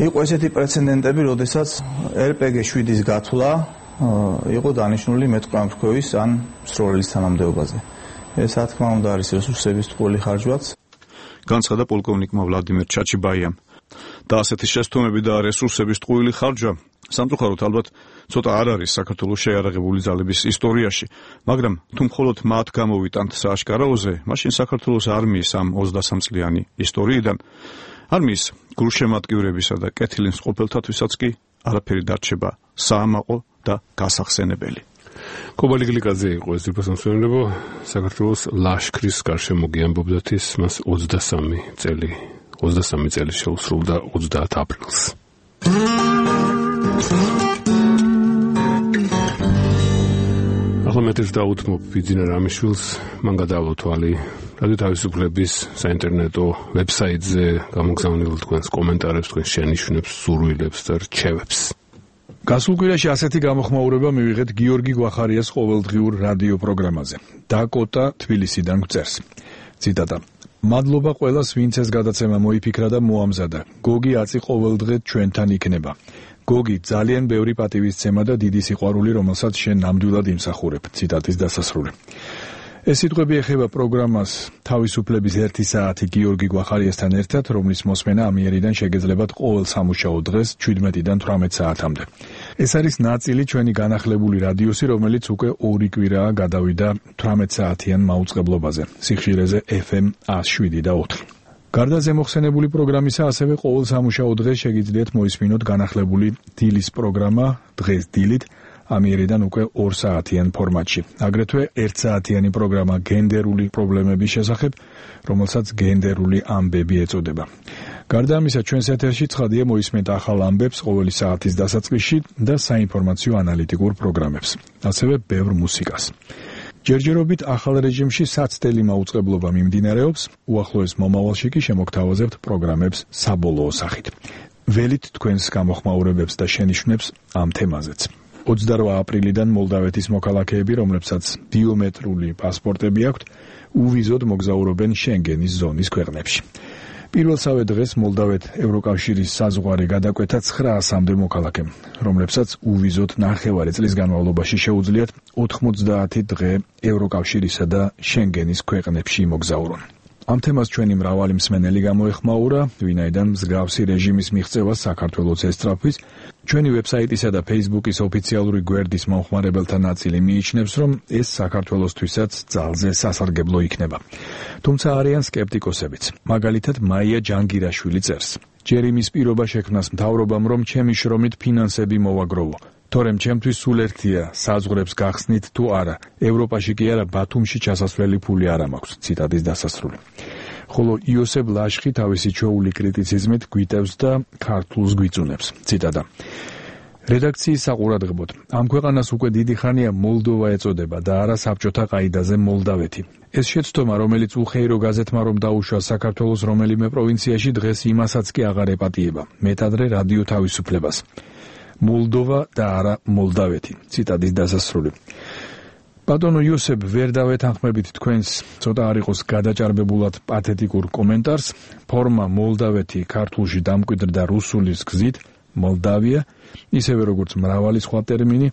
იყო ესეთი პრეცედენტები, როდესაც ერ პე გი შვიდის გათვლა იყო დანიშნული მეტყველთქვევის ან მსროლელის თანამდებობაზე. ეს რა თქმა უნდა არის რესურსების ტყუილი ხარჯვაც. განცხადა პოლკოვნიკმა ვლადიმერ ჩაჩიბაიამ. და ასეთი შეცდომები და რესურსების ტყუილი ხარჯვა სამწუხაროდ ალბათ ცოტა არ არის საქართველოს შეიარაღებული ძალების ისტორიაში, მაგრამ თუ მხოლოდ მათ გამოვიტანთ სააშკარაოზე, მაშინ საქართველოს არმიის ამ ოცდასამ წლიანი ისტორიიდან არმიის გულშემატკივრებისა და კეთილი მსყოფელთათვისაც კი არაფერი დარჩება საამაყო და გასახსენებელი. კობალი გლიკაძე იყო ეს ძირფასმსვენებო საქართველოს ლაშქრის გარშემო გიამბობდათ ის მას ოცდასამი წელი ოცდასამი წელი შეუსრულდა ოცდაათ აპრილს. ახლა მეტეს დაუთმობ ბიძინა რამიშვილს, მან გადაავალო თვალი რადიო თავისუფლების საინტერნეტო ვებსაიტზე გამოგზავნილ თქვენს კომენტარებს, თქვენს შენიშვნებს, სურვილებს და რჩევებს. გასულ კვირაში ასეთი გამოხმაურება მივიღეთ გიორგი გვახარიას ყოველდღიურ რადიო პროგრამაზე. დაკოტა თბილისიდან გვწერს. ციტატა: მადლობა ყველას, ვინც ეს გადაცემა მოიფიქრა და მოამზადა. გოგი აწი ყოველდღე ჩვენთან იქნება. გოგი, ძალიან ბევრი პატივისცემა და დიდი სიყვარული, რომელსაც შენ ნამდვილად იმსახურებ. ციტატის დასასრული. ეს სიტყვები ეხება პროგრამას თავისუფლების ერთი საათი გიორგი გვახარიასთან ერთად, რომლის მოსმენა ამიერიდან შეგეძლებათ ყოველ სამუშაო დღეს ჩვიდმეტიდან თვრამეტ საათამდე. ეს არის ნაწილი ჩვენი განახლებული რადიოსი, რომელიც უკვე ორი კვირაა გადავიდა თვრამეტ საათიან მაუწყებლობაზე, სიხშირეზე ეფ ემ ას შვიდი და ოთხი. გარდა ზემოხსენებული პროგრამისა, ასევე ყოველ სამუშაო დღეს შეგიძლიათ მოისმინოთ განახლებული დილის პროგრამა დღეს დილით, ამიერიდან უკვე ორ საათიან ფორმატში. აგრეთვე ერთ საათიანი პროგრამა გენდერული პრობლემების შესახებ, რომელსაც გენდერული ამბები ეწოდება. გარდა ამისა, ჩვენს ეთერში ცხადია მოისმენთ ახალ ამბებს ყოველი საათის დასაწყისში და საინფორმაციო ანალიტიკურ პროგრამებს, ასევე ბევრ მუსიკას. ჯერჯერობით ახალ რეჟიმში საცდელი მაუწყებლობა მიმდინარეობს, უახლოეს მომავალში კი შემოგთავაზებთ პროგრამებს საბოლოო სახით. ველით თქვენს გამოხმაურებებს და შენიშვნებს ამ თემაზეც. ოცდარვა აპრილიდან მოლდავეთის მოქალაქეები, რომლებსაც ბიომეტრიული პასპორტები აქვთ, უვიზოდ მოგზაურობენ შენგენის ზონის ქვეყნებში. პირველსავე დღეს მოლდავეთ ევროკავშირის საზღვარი გადაკვეთა ცხრაასამდე მოქალაქემ, რომლებსაც უვიზოდ ნახევარი წლის განმავლობაში შეუძლიათ ოთხმოცდაათი დღე ევროკავშირისა და შენგენის ქვეყნებში მოგზაურონ. ამ თემას ჩვენი მრავალი მსმენელი გამოეხმაურა, ვინაიდან მსგავსი რეჟიმის მიღწევას საქართველოს ესწრაფვის. ჩვენი ვებსაიტისა და Facebook-ის ოფიციალური გვერდის მომხმარებელთა ნაწილი მიიჩნევს, რომ ეს საქართველოსთვისაც ძალზე სასარგებლო იქნება. თუმცა არიან სკეპტიკოსებიც. მაგალითად, მაია ჯანგირაშვილი წერს: ჯერ იმის პირობა შექმნას მთავრობამ, რომ ჩემი შრომით ფინანსები მოვაგროვო. თორემ ჩემთვის სულ ერთია, საზღვრებს გახსნით თუ არა. ევროპაში კი არა, ბათუმში ჩასასვლელი ფული არ მაქვს. ციტატის დასასრული. ხოლო იოსებ ლაშხი თავისი ჩვეული კრიტიციზმით გვიტევს და ქართულს გვიწუნებს. ციტატა: რედაქციის საყურადღებოდ, ამ ქვეყანას უკვე დიდი ხანია მოლდოვა ეწოდება და არა საბჭოთა ყაიდაზე მოლდავეთი. ეს შეცდომა, რომელიც უხეირო გაზეთმა რომ დაუშვა საქართველოს რომელიმე პროვინციაში, დღეს იმასაც კი აღარ ეპატიება. მეტადრე რადიო თავისუფლებას. მოლდოვა და არა მოლდავეთი. ციტატის დასასრული. ბატონო იოსებ, ვერ დავეთანხმებით თქვენს ცოტა არ იყოს გადაჭარბებულად პათეტიკურ კომენტარს. ფორმა მოლდავეთი ქართულში დამკვიდრდა რუსულის გზით, მოლდავია, ისევე როგორც მრავალი სხვა ტერმინი,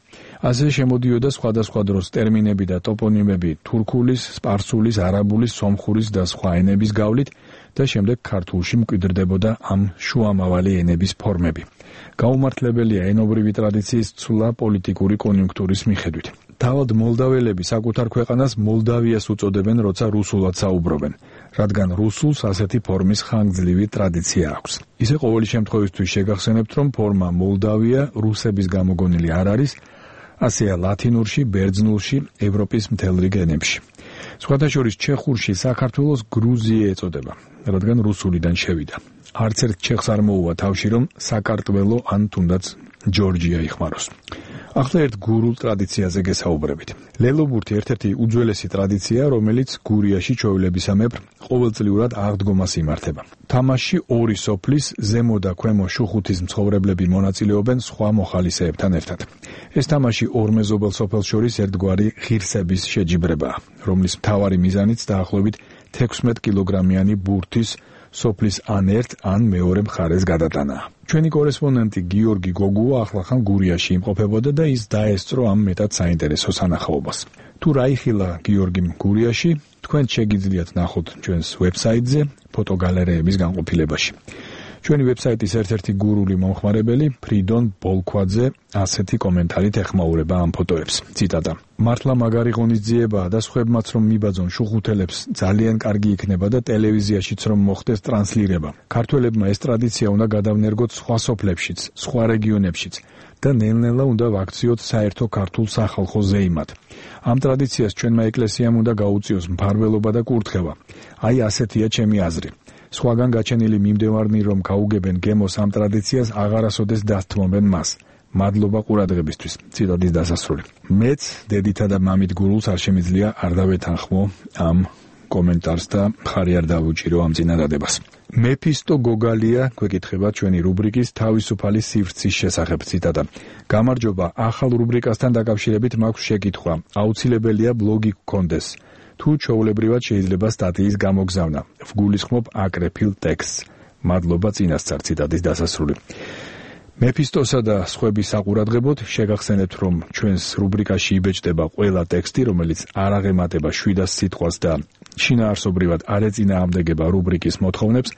ასე შემოდიოდა სხვადასხვა დროს ტერმინები და ტოპონიმები თურქულის, სპარსულის, არაბულის, სომხურის და სხვა ენების გავლით და შემდეგ ქართულში მკვიდრდებოდა ამ შუამავალი ენების ფორმები. გაუმართლებელია ენობრივი ტრადიციის ცვლა პოლიტიკური კონიუნქტურის მიხედვით. თავად მოლდაველები საკუთარ ქვეყანას მოლდავიას უწოდებენ, როცა რუსულად საუბრობენ, რადგან რუსულს ასეთი ფორმის ხანგრძლივი ტრადიცია აქვს. ისე ყოველი შემთხვევისთვის შეგახსენებთ, რომ ფორმა მოლდავია რუსების გამოგონილი არ არის, ასეა ლათინურში, ბერძნულში, ევროპის მთელ რიგ ენებში. სხვათა შორის ჩეხურში საქართველოს გრუზია ეწოდება, რადგან რუსულიდან შევიდა. არც ერთ ჩეხს არ მოუვა თავში, რომ საკარტველო ან თუნდაც ჯორჯია იხმაროს. ახლა ერთ გურულ ტრადიციაზე გესაუბრებით. ლელობურთი ერთ-ერთი უძველესი ტრადიციაა, რომელიც გურიაში ჩვეულებისამებრ ყოველწლიურად აღდგომას იმართება. თამაშში ორი სოფლის ზემო და ქვემო შუხუთის მცხოვრებლები მონაწილეობენ სხვა მოხალისეებთან ერთად. ეს თამაში ორ მეზობელ სოფელს შორის ერთგვარი ღირსების შეჯიბრებაა, რომლის მთავარი მიზანიც დაახლოებით თექვსმეტ კილოგრამიანი ბურთის სოფლის ან ერთ ან მეორე მხარეს გადატანაა. ჩვენი კორესპონდენტი გიორგი გოგუა ახლახან გურიაში იმყოფებოდა და ის დაესწრო ამ მეტად საინტერესო სანახაობას. თუ რა იხილა გიორგიმ გურიაში, თქვენ შეგიძლიათ ნახოთ ჩვენს ვებსაიტზე ფოტოგალერეების განყოფილებაში. ჩვენი ვებსაიტის ერთ-ერთი გურული მომხმარებელი ფრიდონ ბოლქვაძე ასეთი კომენტარით ეხმაურება ამ ფოტოებს. ციტატა: მართლა მაგარი ღონისძიებაა და სხვებმაც რომ მიბაძონ შუხუთელებს ძალიან კარგი იქნება და ტელევიზიაშიც რომ მოხდეს ტრანსლირება. ქართველებმა ეს ტრადიცია უნდა გადავნერგოთ სხვა სოფლებშიც, სხვა რეგიონებშიც და ნელ-ნელა უნდა ვაქციოთ საერთო ქართულ სახალხო ზეიმად. ამ ტრადიციას ჩვენმა ეკლესიამ უნდა გაუწიოს მფარველობა და კურთხევა. აი ასეთია ჩემი აზრი. სხვაგან გაჩენილი მიმდევარნი რომ გაუგებენ გემოს ამ ტრადიციას აღარასოდეს დასთმობენ მას. მადლობა ყურადღებისთვის. ციტატის დასასრული. მეც დედითა და მამით გურულს არ შემიძლია არ დავეთანხმო ამ კომენტარს და მხარი არ დავუჭირო ამ წინადადებას. მეფისტო გოგალია გვეკითხება ჩვენი რუბრიკის თავისუფალი სივრცის შესახებ. ციტატა: გამარჯობა, ახალ რუბრიკასთან დაკავშირებით მაქვს შეკითხვა. აუცილებელია ბლოგი გქონდეს. თუ ჩვეულებრივად შეიძლება სტატიის გამოგზავნა. ვგულისხმობ აკრეფილ ტექსტს. მადლობა წინასწარ. ციტატის დასასრული. მეფისტოსა და სხვების საყურადღებოდ შეგახსენებთ, რომ ჩვენს რუბრიკაში იბეჭდება ყველა ტექსტი, რომელიც არ აღემატება შვიდას სიტყვას და შინაარსობრივად არ ეწინააღმდეგება რუბრიკის მოთხოვნებს.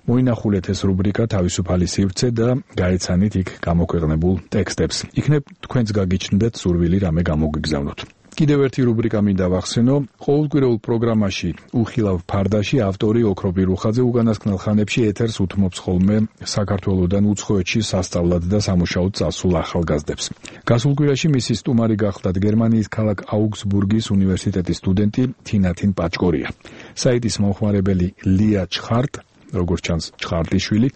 მოინახულეთ ეს რუბრიკა თავისუფალი სივრცე და გაეცანით იქ გამოქვეყნებულ ტექსტებს. იქნებ თქვენც გაგიჩნდეთ სურვილი რამე გამოგვიგზავნოთ. კიდევ ერთი რუბრიკა მინდა ვახსენო. ყოველკვირეულ პროგრამაში უხილავ ფარდაში ავტორი ოქროპი რუხაძე უკანასკნელ ხანებში ეთერს უთმობს ხოლმე საქართველოდან უცხოეთში სასწავლად და სამუშაოდ წასულ ახალგაზრდებს. გასულ კვირაში მისი სტუმარი გახლდათ გერმანიის ქალაქ აუგსბურგის უნივერსიტეტის სტუდენტი თინათინ პაჭკორია. საიტის მომხმარებელი ლია ჩხარტ, როგორც ჩანს ჩხარტიშვილი,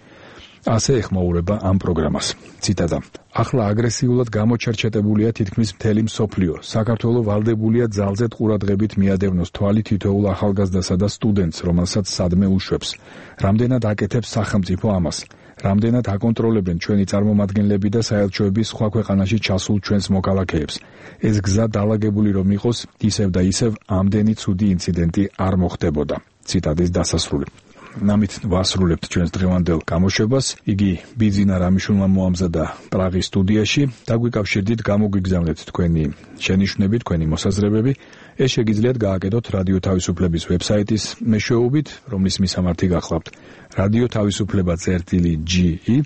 ასე ეხმაურება ამ პროგრამას. ციტატა: ახლა აგრესიულად გამოჩერჩეტებულია თითქმის მთელი მსოფლიო. საქართველო ვალდებულია ძალზედ ყურადღებით მიადევნოს თვალი თითოეულ ახალგაზრდასა და სტუდენტს, რომელსაც სადმე უშვებს. რამდენად აკეთებს სახელმწიფო ამას? რამდენად აკონტროლებენ ჩვენი წარმომადგენლები და საელჩოები სხვა ქვეყანაში ჩასულ ჩვენს მოქალაქეებს? ეს გზა დალაგებული რომ იყოს, ისევ და ისევ ამდენი ცუდი ინციდენტი არ მოხდებოდა. ციტატის დასასრული. ამით ვასრულებთ ჩვენს დღევანდელ გამოშვებას. იგი ბიძინა რამიშვილმა მოამზადა პრაღის სტუდიაში. დაგვიკავშირდით, გამოგვიგზავნეთ თქვენი შენიშვნები, თქვენი მოსაზრებები. ეს შეგიძლიათ გააკეთოთ რადიო თავისუფლების ვებსაიტის მეშვეობით, რომლის მისამართი გახლავთ რადიო თავისუფლება წერტილი ჯი ი,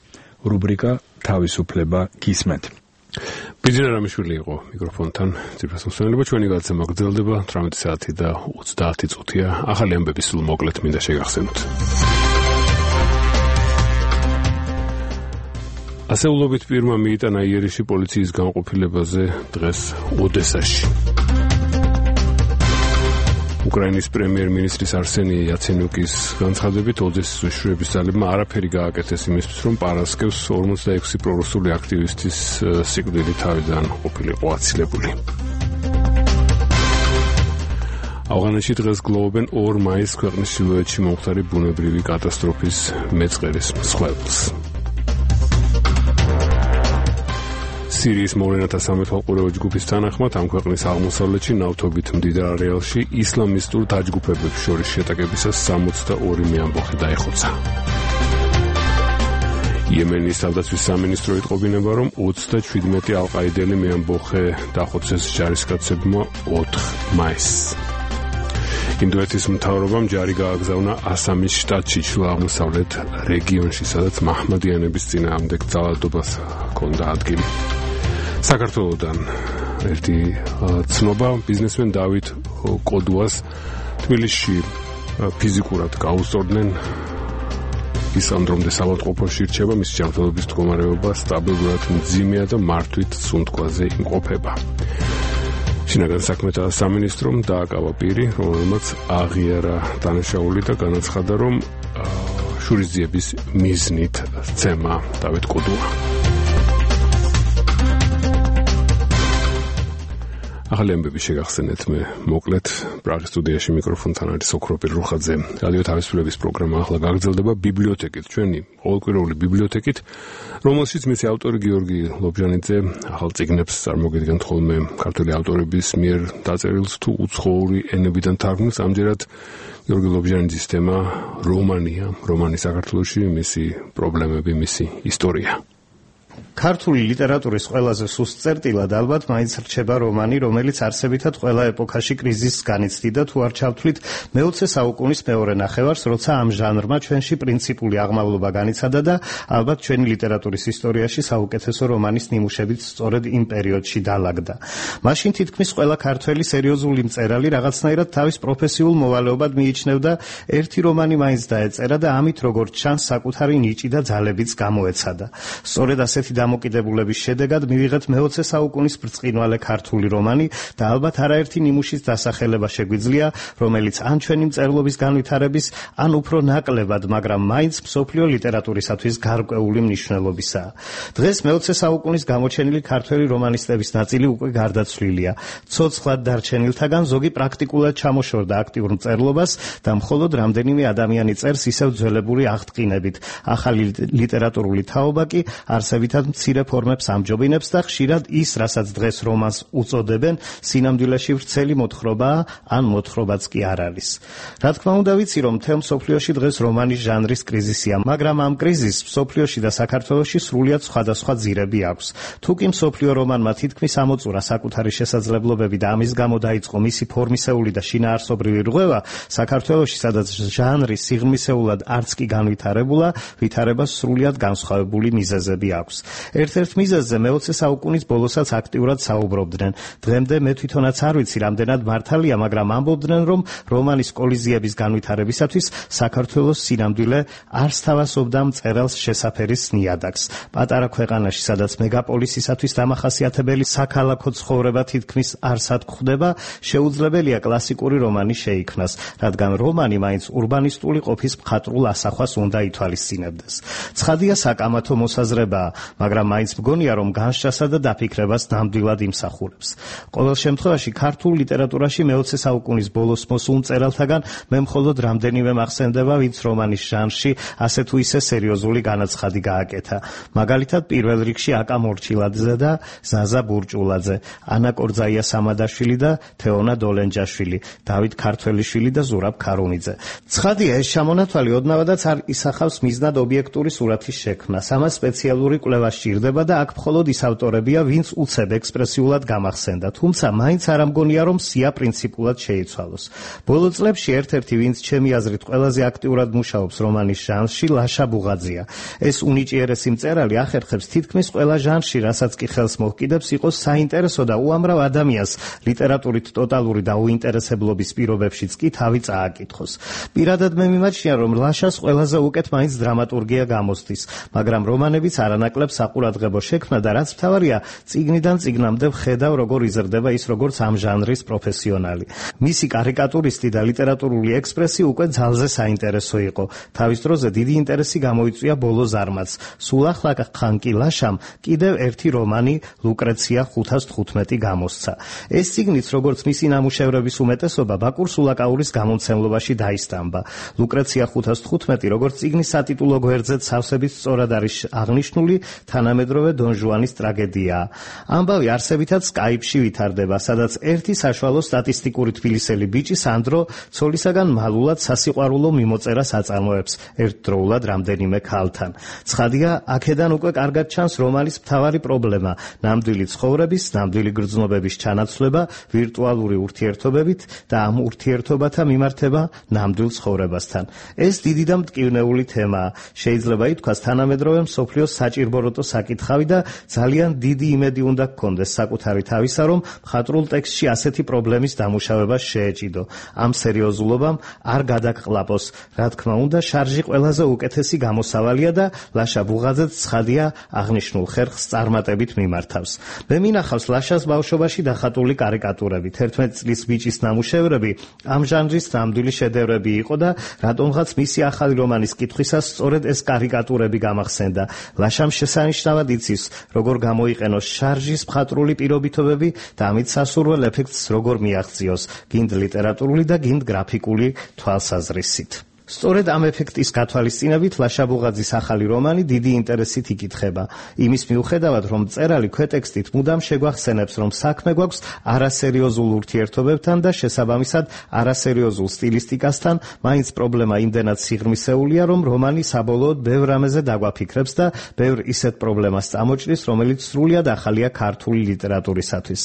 რუბრიკა თავისუფლება გისმენთ. ბიძინა რამიშვილი იყო მიკროფონთან ძირფას მოსვენელობა. ჩვენი გადაცემა გრძელდება თვრამეტი საათი და ოცდაათი წუთია. ახალი ამბები სულ მოკლედ მინდა შეგახსენოთ. ასეულობით პირმა მიიტანა იერიში პოლიციის განყოფილებაზე დღეს ოდესაში. უკრაინის პრემიერ-მინისტრის არსენი იაცენიუკის განცხადებით, ოდესის უშუალების ძალებმა არაფერი გააკეთეს იმისთვის, რომ პარასკევს ორმოცდაექვსი პრორუსული აქტივისტის სიკვდილი თავიდან ყოფილიყო აცილებული. ავღანეთში დღეს გლოვობენ ორ მაისს ქვეყნის ჩრდილოეთში მომხდარი ბუნებრივი კატასტროფის მეწყერის მსხვერპლს. სირიის მოვლენათა სამეთვალყურეო ჯგუფის თანახმად ამ ქვეყნის აღმოსავლეთში ნავთობით მდიდარ არეალში ისლამისტურ დაჯგუფებებს შორის შეტაკებისას სამოცდაორი მეამბოხი დაეხოცა. იემენის თავდაცვის სამინისტრო იტყობინება, რომ ოცდაჩვიდმეტი ალყაიდელი მეამბოხე დახოცეს ჯარისკაცებმა ოთხ მაისს. ინდოეთის მთავრობამ ჯარი გააგზავნა ასამის შტატში ჩრდილო-აღმოსავლეთ რეგიონში, სადაც მაჰმადიანების წინააღმდეგ ძალადობას ჰქონდა ადგილი. საქართველოდან ერთი ცნობა, ბიზნესმენ დავით კოდუას თბილისში ფიზიკურად გაუსწორდნენ. ის ამ დრომდე საავადმყოფოში რჩება, მისი ჯანმრთელობის მდგომარეობა სტაბილურად მძიმეა და მართვით სუნთქვაზე იმყოფება. შინაგან საქმეთა სამინისტრომ დააკავა პირი, რომელმაც აღიარა დანაშაული და განაცხადა, რომ შურისძიების მიზნით სცემა დავით კოდუა. ახალი ამბები შეგახსენეთ მე მოკლედ პრაღის სტუდიაში მიკროფონთან არის ოქროპირ რუხაძე. რადიო თავისუფლების პროგრამა ახლა გაგრძელდება ბიბლიოთეკით, ჩვენი ყოველკვირეული ბიბლიოთეკით, რომელშიც მისი ავტორი გიორგი ლობჟანიძე ახალ წიგნებს წარმოგიდგენთ ხოლმე ქართული ავტორების მიერ დაწერილს თუ უცხოური ენებიდან თარგმნილს. ამჯერად გიორგი ლობჟანიძის თემა რომანია, რომანი საქართველოში, მისი პრობლემები, მისი ისტორია. ქართული ლიტერატურის ყველაზე სუსტ წერტილად ალბათ მაინც რჩება რომანი, რომელიც არსებითად ყველა ეპოქაში კრიზისს განიცდიდა, თუ არ ჩავთვლით მეოცე საუკუნის მეორე ნახევარს, როცა ამ ჟანრმა ჩვენში პრინციპული აღმავლობა განიცადა და ალბათ ჩვენი ლიტერატურის ისტორიაში საუკეთესო რომანის ნიმუშებით სწორედ იმ პერიოდში დაალაგდა. მაშინ თითქმის ყველა ქართველი სერიოზული მწერალი რაღაცნაირად თავის პროფესიულ მოვალეობად მიიჩნევდა, ერთი რომანი მაინც დაეწერა და ამით როგორც ჩანს საკუთარი ნიჭი და ძალებიც გამოეცადა. სწორედ ასეთი დამოკიდებულების შედეგად მივიღეთ მეოცე საუკუნის ბრწყინვალე ქართული რომანი და ალბათ არაერთი ნიმუშის დასახელება შეგვიძლია, რომელიც ან ჩვენი მწერლობის განვითარების, ან უფრო ნაკლებად, მაგრამ მაინც მსოფლიო ლიტერატურისათვის გარკვეული მნიშვნელობისაა. დღეს მეოცე საუკუნის გამოჩენილი ქართველი რომანისტების ნაწილი უკვე გარდაცვლილია. ცოცხლად დარჩენილთაგან ზოგი პრაქტიკულად ჩამოშორდა აქტიურ მწერლობას და მხოლოდ რამდენიმე ადამიანი წერს ისევ ძველებური აღტყინებით. ახალი ლიტერატურული თაობა კი არსებითად მცირე ფორმებს ამჯობინებს და ხშირად ის, რასაც დღეს რომანს უწოდებენ, სინამდვილეში ვრცელი მოთხრობაა, ან მოთხრობაც კი არ არის. რა თქმა უნდა ვიცი, რომ მთელ მსოფლიოში დღეს რომანის ჟანრის კრიზისია, მაგრამ ამ კრიზისს მსოფლიოში და საქართველოში სრულიად სხვადასხვა ძირები აქვს. თუკი მსოფლიო რომანმა თითქმის ამოწურა საკუთარი შესაძლებლობები და ამის გამო დაიწყო მისი ფორმისეული და შინაარსობრივი რღვევა, საქართველოში, სადაც ჟანრი სიღრმისეულად არც კი განვითარებულა, ვითარებას სრულიად განსხვავებული მიზეზები აქვს. ერთ-ერთ მიზეზზე მეოცე საუკუნის ბოლოსაც აქტიურად საუბრობდნენ. დღემდე მე თვითონაც არ ვიცი, რამდენად მართალია, მაგრამ ამბობდნენ, რომ რომანის კოლიზიების განვითარებისათვის საქართველოს სინამდვილე არ სთავაზობდა მწერალს შესაფერის ნიადაგს. პატარა ქვეყანაში, სადაც მეგაპოლისისათვის დამახასიათებელი საქალაქო ცხოვრება თითქმის არსად გვხვდება, შეუძლებელია კლასიკური რომანი შეიქმნას, რადგან რომანი მაინც ურბანისტული ყოფის მხატვრულ ასახვას უნდა ითვალისწინებდეს. ცხადია საკამათო მოსაზრებაა, მაგრამ მაინც მგონია, რომ განსჯასა და დაფიქრებას ნამდვილად იმსახურებს. ყოველ შემთხვევაში ქართულ ლიტერატურაში მეოცე საუკუნის ბოლოს მოსულ მწერალთაგან მე მხოლოდ რამდენიმე მახსენდება, ვინც რომანის ჟანრში ასე თუ ისე სერიოზული განაცხადი გააკეთა. მაგალითად, პირველ რიგში აკა მორჩილაძე და ზაზა ბურჭულაძე, ანა კორძაია სამადაშვილი და თეონა დოლენჯაშვილი, დავით ქართველიშვილი და ზურაბ ქარუნიძე. ცხადია, ეს ჩამონათვალი ოდნავადაც არ ისახავს მიზნად ობიექტური სურათის შექმნას. ამას სპეციალური კვლევა სჭირდება და აქ მხოლოდ ის ავტორებია, ვინც უცებ ექსპრესიულად გამახსენდა. თუმცა მაინც არ ამგონია, რომ სია პრინციპულად შეიცვალოს. ბოლო წლებში ერთ-ერთი, ვინც ჩემი აზრით ყველაზე აქტიურად მუშაობს რომანის ჟანრში, ლაშა ბუღაძეა. ეს უნიჭიერესი მწერალი ახერხებს თითქმის ყველა ჟანრში, რასაც კი ხელს მოჰკიდებს, იყოს საინტერესო და უამრავ ადამიანს ლიტერატურით ტოტალური დაუინტერესებლობის პირობებშიც კი თავი წააკითხოს. პირადად მე მიმაჩნია, რომ ლაშას ყველაზე უკეთ მაინც დრამატურგია გამოსდის, მაგრამ რომანებიც არანაკლებ საყურადღებო შექმნა და რაც მთავარია, წიგნიდან წიგნამდე ვხედავ, როგორ იზრდება ის როგორც ამ ჟანრის პროფესიონალი. მისი კარიკატურისტი და ლიტერატურული ექსპრესი უკვე ძალზე საინტერესო იყო. თავის დროზე დიდი ინტერესი გამოიწვია ბოლო ზარმაც. სულ ახლა ხან კი ლაშამ კიდევ ერთი რომანი ლუკრეცია ხუთას თხუთმეტი გამოსცა. ეს წიგნიც, როგორც მისი ნამუშევრების უმეტესობა, ბაკურ სულაკაურის გამომცემლობაში დაისტამბა. ლუკრეცია ხუთას თხუთმეტი, როგორც წიგნის სატიტულო გვერდზეც სავსებით სწორად არის აღნიშნული, თანამედროვე დონ ჟუანის ტრაგედიაა. ამბავი არსებითად სკაიპში ვითარდება, სადაც ერთი საშუალო სტატისტიკური თბილისელი ბიჭი სანდრო ცოლისაგან მალულად სასიყვარულო მიმოწერას აწარმოებს ერთდროულად რამდენიმე ქალთან. ცხადია, აქედან უკვე კარგად ჩანს რომანის მთავარი პრობლემა, ნამდვილი ცხოვრების, ნამდვილი გრძნობების ჩანაცვლება ვირტუალური ურთიერთობებით და ამ ურთიერთობათა მიმართება ნამდვილ ცხოვრებასთან. ეს დიდი და მტკივნეული თემაა. შეიძლება ითქვას, თანამედროვე მსოფლიოს საჭირბოროტო საკითხავი და ძალიან დიდი იმედი უნდა გქონდეს საკუთარი თავისა, რომ მხატვრულ ტექსტში ასეთი პრობლემის დამუშავება შეეჭიდო. ამ სერიოზულობამ არ გადაგყლაპოს. რა თქმა უნდა, შარჟი ყველაზე უკეთესი გამოსავალია და ლაშა ბუღაძეც ცხადია აღნიშნულ ხერხს წარმატებით მიმართავს. მე მინახავს ლაშას ბავშვობაში დახატული კარიკატურები, თერთმეტი წლის ბიჭის ნამუშევრები ამ ჟანრის ნამდვილი შედევრები იყო და რატომღაც მისი ახალი რომანის კითხვისას სწორედ ეს კარიკატურები გამახსენდა. ლაშამ შესანიშნავად იცის, როგორ გამოიყენოს შარჟის მხატვრული პირობითობები და ამით სასურველ ეფექტს როგორ მიაღწიოს, გინდ ლიტერატურული და გინდ გრაფიკული თვალსაზრისით. სწორედ ამ ეფექტის გათვალისწინებით ლაშა ბუღაძის ახალი რომანი დიდი ინტერესით იკითხება. იმის მიუხედავად, რომ მწერალი ქვეტექსტით მუდამ შეგვახსენებს, რომ საქმე გვაქვს არასერიოზულ ურთიერთობებთან და შესაბამისად არასერიოზულ სტილისტიკასთან, მაინც პრობლემა იმდენად სიღრმისეულია, რომ რომანი საბოლოოდ ბევრ რამეზე დაგვაფიქრებს და ბევრ ისეთ პრობლემას წამოჭრის, რომელიც სრულიად ახალია ქართული ლიტერატურისათვის.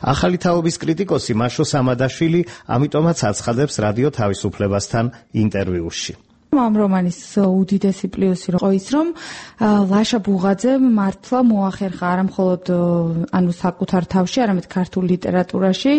ახალი თაობის კრიტიკოსი მაშო სამადაშვილი ამიტომაც აცხადებს რადიო თავისუფლებასთან ინტერვიუში. ამ რომანის უდიდესი პლუსი იყო ის, რომ ლაშა ბუღაძემ მართლა მოახერხა არა მხოლოდ ანუ საკუთარ თავში, არამედ ქართულ ლიტერატურაში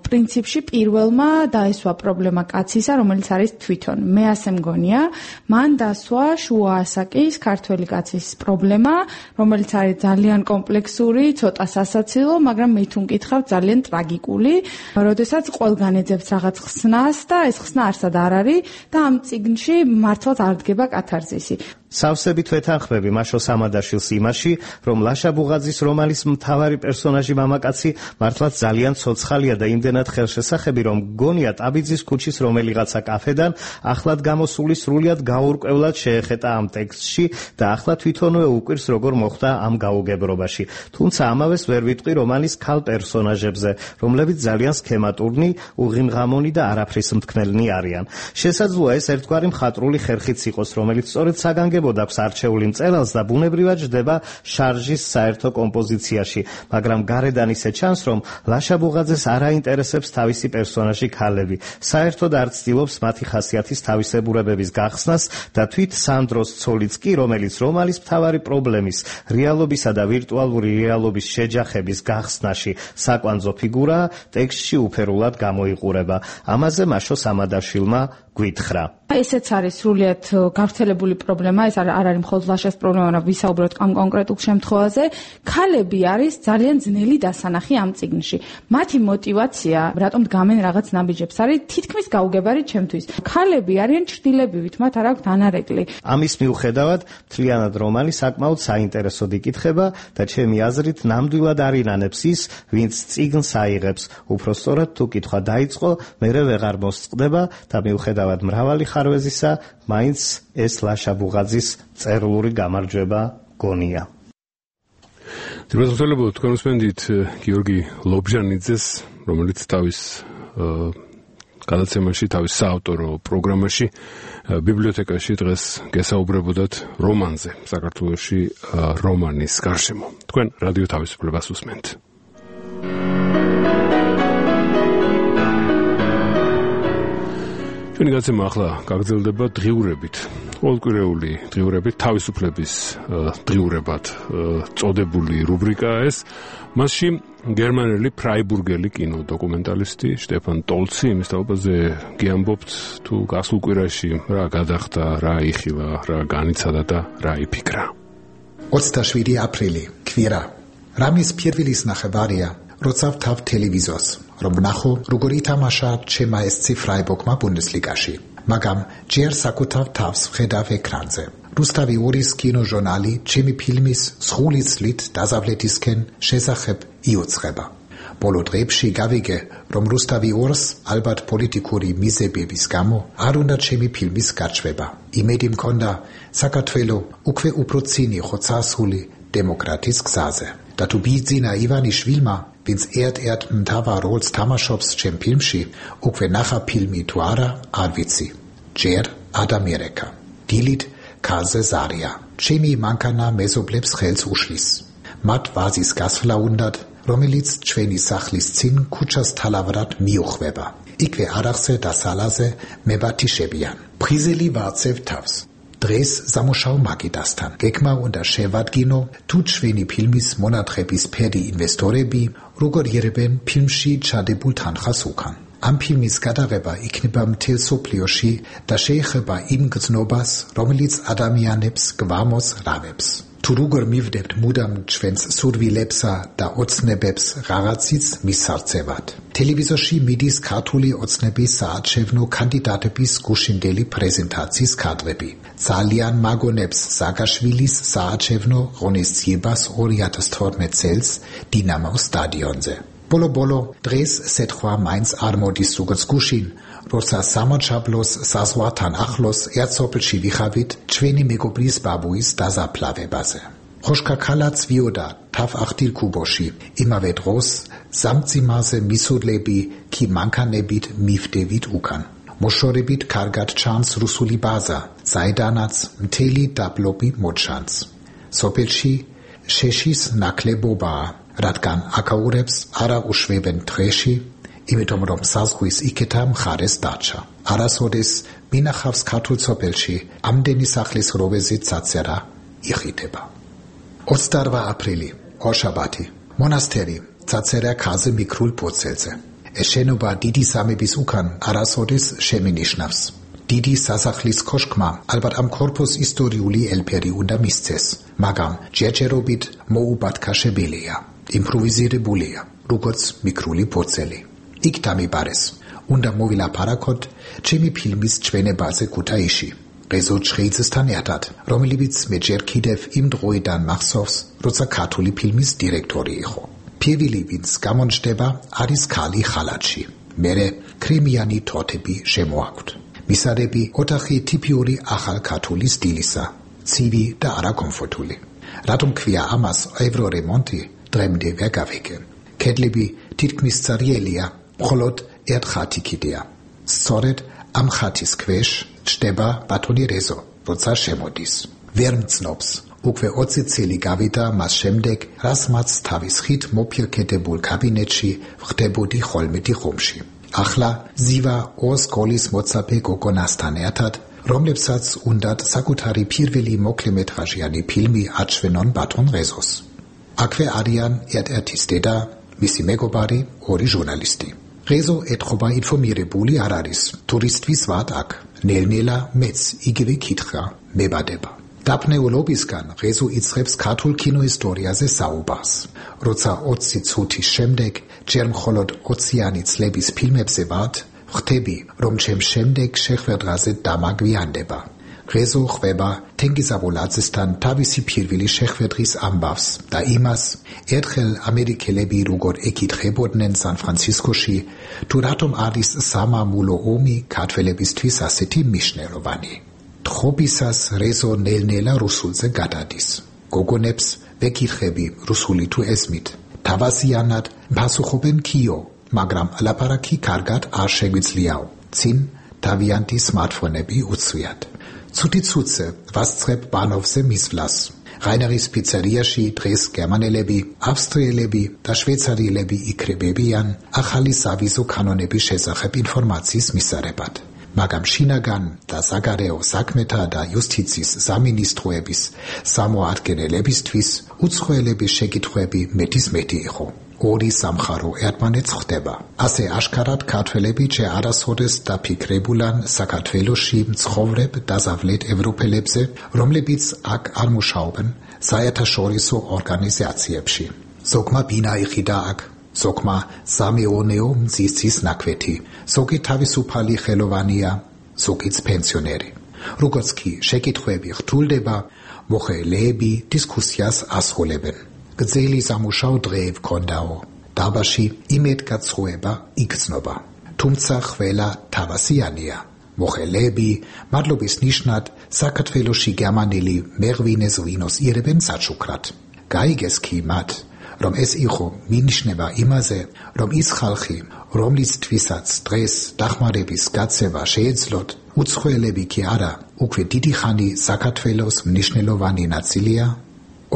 პრინციპში პირველმა დაესვა პრობლემა კაცისა, რომელიც არის თვითონ. მე ასე მგონია, მან დასვა შუა ასაკის ქართველი კაცის პრობლემა, რომელიც არის ძალიან კომპლექსური, ცოტა სასაცილო, მაგრამ მე თუ მკითხავ, ძალიან ტრაგიკული, როდესაც ყველგან ეძებს რაღაც ხსნას და ეს ხსნა არსად არ არის და ამ წიგნში მართლაც არ დგება კათარზისი. სავსებით ვეთანხმები მაშო სამადაშვილს იმაში, რომ ლაშა ბუღაძის რომანის მთავარი პერსონაჟი მამაკაცი მართლაც ძალიან ცოცხალია და იმდენად ხელშესახები, რომ გონია ტაბიძის ქუჩის რომელიღაცა კაფედან ახლად გამოსული სრულიად გაურკვევლად შეეხეტა ამ ტექსტში და ახლა თვითონვე უკვირს როგორ მოხდა ამ გაუგებრობაში. თუმცა ამავეს ვერ ვიტყვი რომანის ქალ პერსონაჟებზე, რომლებიც ძალიან სქემატურნი, უღიმღამონი და არაფრის მთქმელნი არიან. შესაძლოა ეს ერთგვარი მხატვრული ხერხიც იყოს, რომელიც სწორედ საგანგებოდ აქვს არჩეული მწერალს და ბუნებრივად ჯდება შარჟის საერთო კომპოზიციაში, მაგრამ გარედან ისე ჩანს, რომ ლაშა ბუღაძეს არ აინტერესებს თავისი პერსონაჟი ქალები. საერთოდ არ ცდილობს მათი ხასიათის თავისებურებების გახსნას და თვით სანდროს ცოლიც კი, რომელიც რომანის მთავარი პრობლემის, რეალობისა და ვირტუალური რეალობის შეჯახების გახსნაში საკვანძო ფიგურაა, ტექსტში უფერულად გამოიყურება. ამაზე მაშო სამადაშვილმა გვითხრა. ესეც არის სრულიად გავრცელებული პრობლემა, ეს არ არის მხოლოდ ლაშას პრობლემა, მაგრამ ვისაუბროთ ამ კონკრეტულ შემთხვევაზე. ქალები არის ძალიან ძნელი დასანახი ამ წიგნში. მათი мотиваცია, რატომ დგამენ რაღაც ნაბიჯებს, არის თითქმის გაუგებარი ჩემთვის. ქალები არიან ჩრდილებივით, მათ არ აქვთ ანარეკლი. ამის მიუხედავად, მთლიანად რომანი საკმაოდ საინტერესოდ იკითხება და ჩემი აზრით ნამდვილად არ ინანებს ის, ვინც წიგნს აიღებს. უფრო სწორად, თუ კითხვა დაიწყო, მერე ვეღარ მოსწყდება და მიუხედავად მრავალი ხარვეზისა, მაინც ეს ლაშა ბუღაძის წერილური გამარჯვება გონია. დიალოგები თქვენ უსმენთ გიორგი ლობჟანიძეს, რომელიც თავის გადაცემაში, თავის საავტორო პროგრამაში ბიბლიოთეკაში დღეს გესაუბრებოდათ რომანზე, საქართველოში რომანის გარშემო. თქვენ რადიო თავისუფლებას უსმენთ. ჩვენი გადაცემა ახლა გაგრძელდება დღიურებით. ყოველკვირეული დღიურებით თავისუფლების დღიურებად წოდებული რუბრიკაა ეს. მასში გერმანელი ფრაიბურგელი კინოდოკუმენტალისტი შტეფან ტოლცი იმის თაობაზე გიამბობთ თუ გასულ კვირაში რა გადახდა, რა იხილა, რა განიცადა და რა იფიქრა. ოცდაშვიდი აპრილი, კვირა. რამის პირველის ნახევარია, როცა ვთავ ტელევიზორს, რომ ვნახო, როგორ ითამაშა ჩემმა ესცი ფრაიბურგმა ბუნდესლიგაში. მაგრამ ჯერ საკუთარ თავს ვხედავ ეკრანზე. რუსთავი ორის კინოჟურნალი ჩემი ფილმის სხული წლით დაზავლეთისკენ შესახებ იუწყება. ბოლო დღეებში გავიგე, რომ რუსთავი ორს ალბათ პოლიტიკური მიზეზების გამო არ უნდა ჩემი ფილმის გარჩევა. იმედი მქონდა საქართველო უკვე უფრო წინ იყო წასული დემოკრატიის გზაზე. და თუ ბიძინა ივანიშვილმა, ვინც ერთ-ერთ მთავარ როლს თამაშობს ჩემ ფილმში, უკვე ნახა ფილმი თუ არა, არ ვიცი. ჯერ ადამიანერეკა. დილით ქალზე ზარია. ჩემი მანქანა მეზობლებს ხელს უშლის. მათ ვაზის გასვლა უნდათ, რომელიც ჩვენი სახლის წინ ქუჩას თალავრად მიუხვება. იქვე არახზე და სალაზე მებათიშებიან. ფრიზელი ვაცევ თავს. დღეს სამუშაო მაგიდასთან. გეკმა უნდა შევადგინო, თუ ჩვენი ფილმის მონათხების ფერი ინვესტორები როგორ იერებენ ფილმში ჩადებულ თანხას უკან. ამ ფილმის გადაღება იქნება მთელ სოფლიოში და შეეხება იმ გზნობას, რომელიც ადამიანებს გვამოს რავებს. თუ როგორ მივდებთ მუდამ ჩვენს სურვილებსა და ოცნებებს რაღაცის მისარწევად. ტელევიზორში მიდის ქართული ოცნების საარჩევნო კანდიდატების გუშინდელი პრეზენტაციის კადრები. ძალიან მაგონებს ზაგაშვილის საარჩევნო ღონისძიებას ორი ათას თორმეტ წელს დინამოს სტადიონზე. ბოლო-ბოლო დღეს სეთქვა მაინც არ მოდის როგორც გუშინ, როცა სამაჩაბლოს საზღვართან ახლოს ერთსოფელში ვიხავით ჩვენი მეგობრის ბაბუის დაზაფლავებაზე. ხოშკა ქალაც ვიოდა თავ ახტილ კუბოში, იმავე დროს სამძიმაზე მისურლები კი მანქანებით მივდევით უკან. მოშორებით კარგად ჩანს რუსული ბაზა, საიდანაც მთელი დაბლობი მოჩანს. სოფელში შეშის ნაკლებობაა, რადგან აკაურებს არა უშვებენ დღეში, იმიტომ რომ საზღვის იქეთა მხარეს დაჩა. არასოდეს მინახავს ქართულ სოფელში ამდენი სახლის როვეზით წაწერა იხიტება. ოცდაოთხ აპრილი, ორშაბათი, მონასტერი, წაწერა ქაზე მიკრულ პოცელზე. ეს შენობა დიდი სამების უკან არასოდეს შემინიშნავს. დიდი სასახლის კოშკმა ალბათ ამ ქორფოს ისტორიული ელფერი უნდა მისცეს, მაგრამ ჯერჯერობით მოუბათქაშებელია, იმპროვიზირებულია, როგორც მიკრული პოცელი. იქ დამიბარეს, უნდა მოვილაპარაკოთ ჩემი ფილმის ჩვენებაზე ქუთაისში, რეზო ჩხეიძესთან ერთად, რომელიც მე ჯერ კიდევ იმ დროიდან მახსოვს, როცა ქართული ფილმის დირექტორი იყო. პირველი ვინც გამონჯდება არის ქალი ხალათში. მერე კრემიანი თოთები შემოაქვთ. მისარები ოთახი ტიპიური ახალ ქართული სტილისა, ცივი და არაკომფორტული. რატომ ქვია ამას ევრორემონტი, დღემდე ვერ გავიგე. კედლები თითქმის წარიელია, მხოლოდ ერთ ხათი კიდეა. სწორედ ამ ხათის ქვეშ ჩდება ბატონი რეზო, როცა შემოდის. ვერ მცნობს. უკვე ოცი წელი გავიდა მას შემდეგ, რაც მას თავის ხით მოფირკეტებულ კაბინეტში ვხდებოდი ხოლმე ხომში. ახლა ზივა ორ სკოლის მოცაფე გოგონასთან ერთად, რომლებსაც უნდათ საკუთარი პირველი მოკლემეტრაჟიანი ფილმი აჩვენონ ბატონ რეზოს. აქვე არიან ერთ-ერთის დედა, მისი მეგობარი, ორი ჟურნალისტი. რეზო ეთყობა ინფორმირებული არ არის, ტურისტვის ვად აქ, ნელ-ნელა მეც იგივე კითხვა მებადება. დაფნეულობისგან ღეზო იწყებს ქართულ კინოისტორიაზე საუბარს. როცა ოცი წუთის შემდეგ ჯერ მხოლოდ ოციანი წლების ფილმებზე ვართ, ხვდები, რომ ჩემ შემდეგ შეხვედრაზე დამაგვიანდება. ღეზო ხვდება თენგიზ აბულაძესთან თავისი პირველი შეხვედრის ამბავს და იმას, ერთხელ ამერიკელები როგორ ეკითხებოდნენ სან-ფრანცისკოში, თუ რატომ არის სამამულო ომი ქართველებისთვის ასეთი მნიშვნელოვანი. თხრობისას რეზო ნელ-ნელა რუსულზე გადადის. გოგონებს ვეკითხები რუსული თუ ესმით. თავაზიანად პასუხობენ კიო, მაგრამ ლაპარაკი კარგად არ შეგვიძლიაო. წინ თავიანთი სმარტფონები უცვიათ. ცუდი ცუცე ვასწრებ ბანოვზე მისვლას. რაინერის პიცერიაში დღეს გერმანელები, ავსტრიელები და შვეიცარიელები იქრებებიან ახალი სავიზო კანონების შესახებ ინფორმაციის მისაღებად. მაგრამ შინაგან და საგარეო საქმეთა და იუსტიციის სამინისტროების სამოადგენელებისთვის უცხოელების შეკითხვები მეტის მეტი იყო. ორი სამხარო ერთმანეთს ხვდება. ასე აშკარად ქართველები ჯერ არასოდეს დაფიქრებულან საქართველოში მცხოვრებ დაზავლეთ ევროპელებზე, რომლებიც აქ არ მუშაობენ საერთაშორისო ორგანიზაციებში. ზოგმა ბინა იყიდა აქ, ზოგმა სამეონეო მზისის ნაკვეთი, ზოგი თავისუფალი ხელოვანია, ზოგიც პენსიონერი. როგორც კი შეკითხვები რთულდება, მოხელეები დისკუსიას ასრულებენ. გრძელი სამუშაო დღე ვქონდაო. დაბაში იმედგაცრუება იგრძნობა. თუმცა ყველა თავასიანია. მოხელეები მადლობის ნიშნად საქართველოში გერმანელი მეღვინეს ვინოს იერებენ საჩუქრად. გაიგეს კი მათ, რომ ეს იყო მინიშნება იმაზე, რომ ის ხალხი, რომლისთვისაც დღეს დახმარების გაცემა შეეძლოთ, უცხოელები კი არა, უკვე დიდი ხანი საქართველოს მნიშვნელოვანი ნაწილია.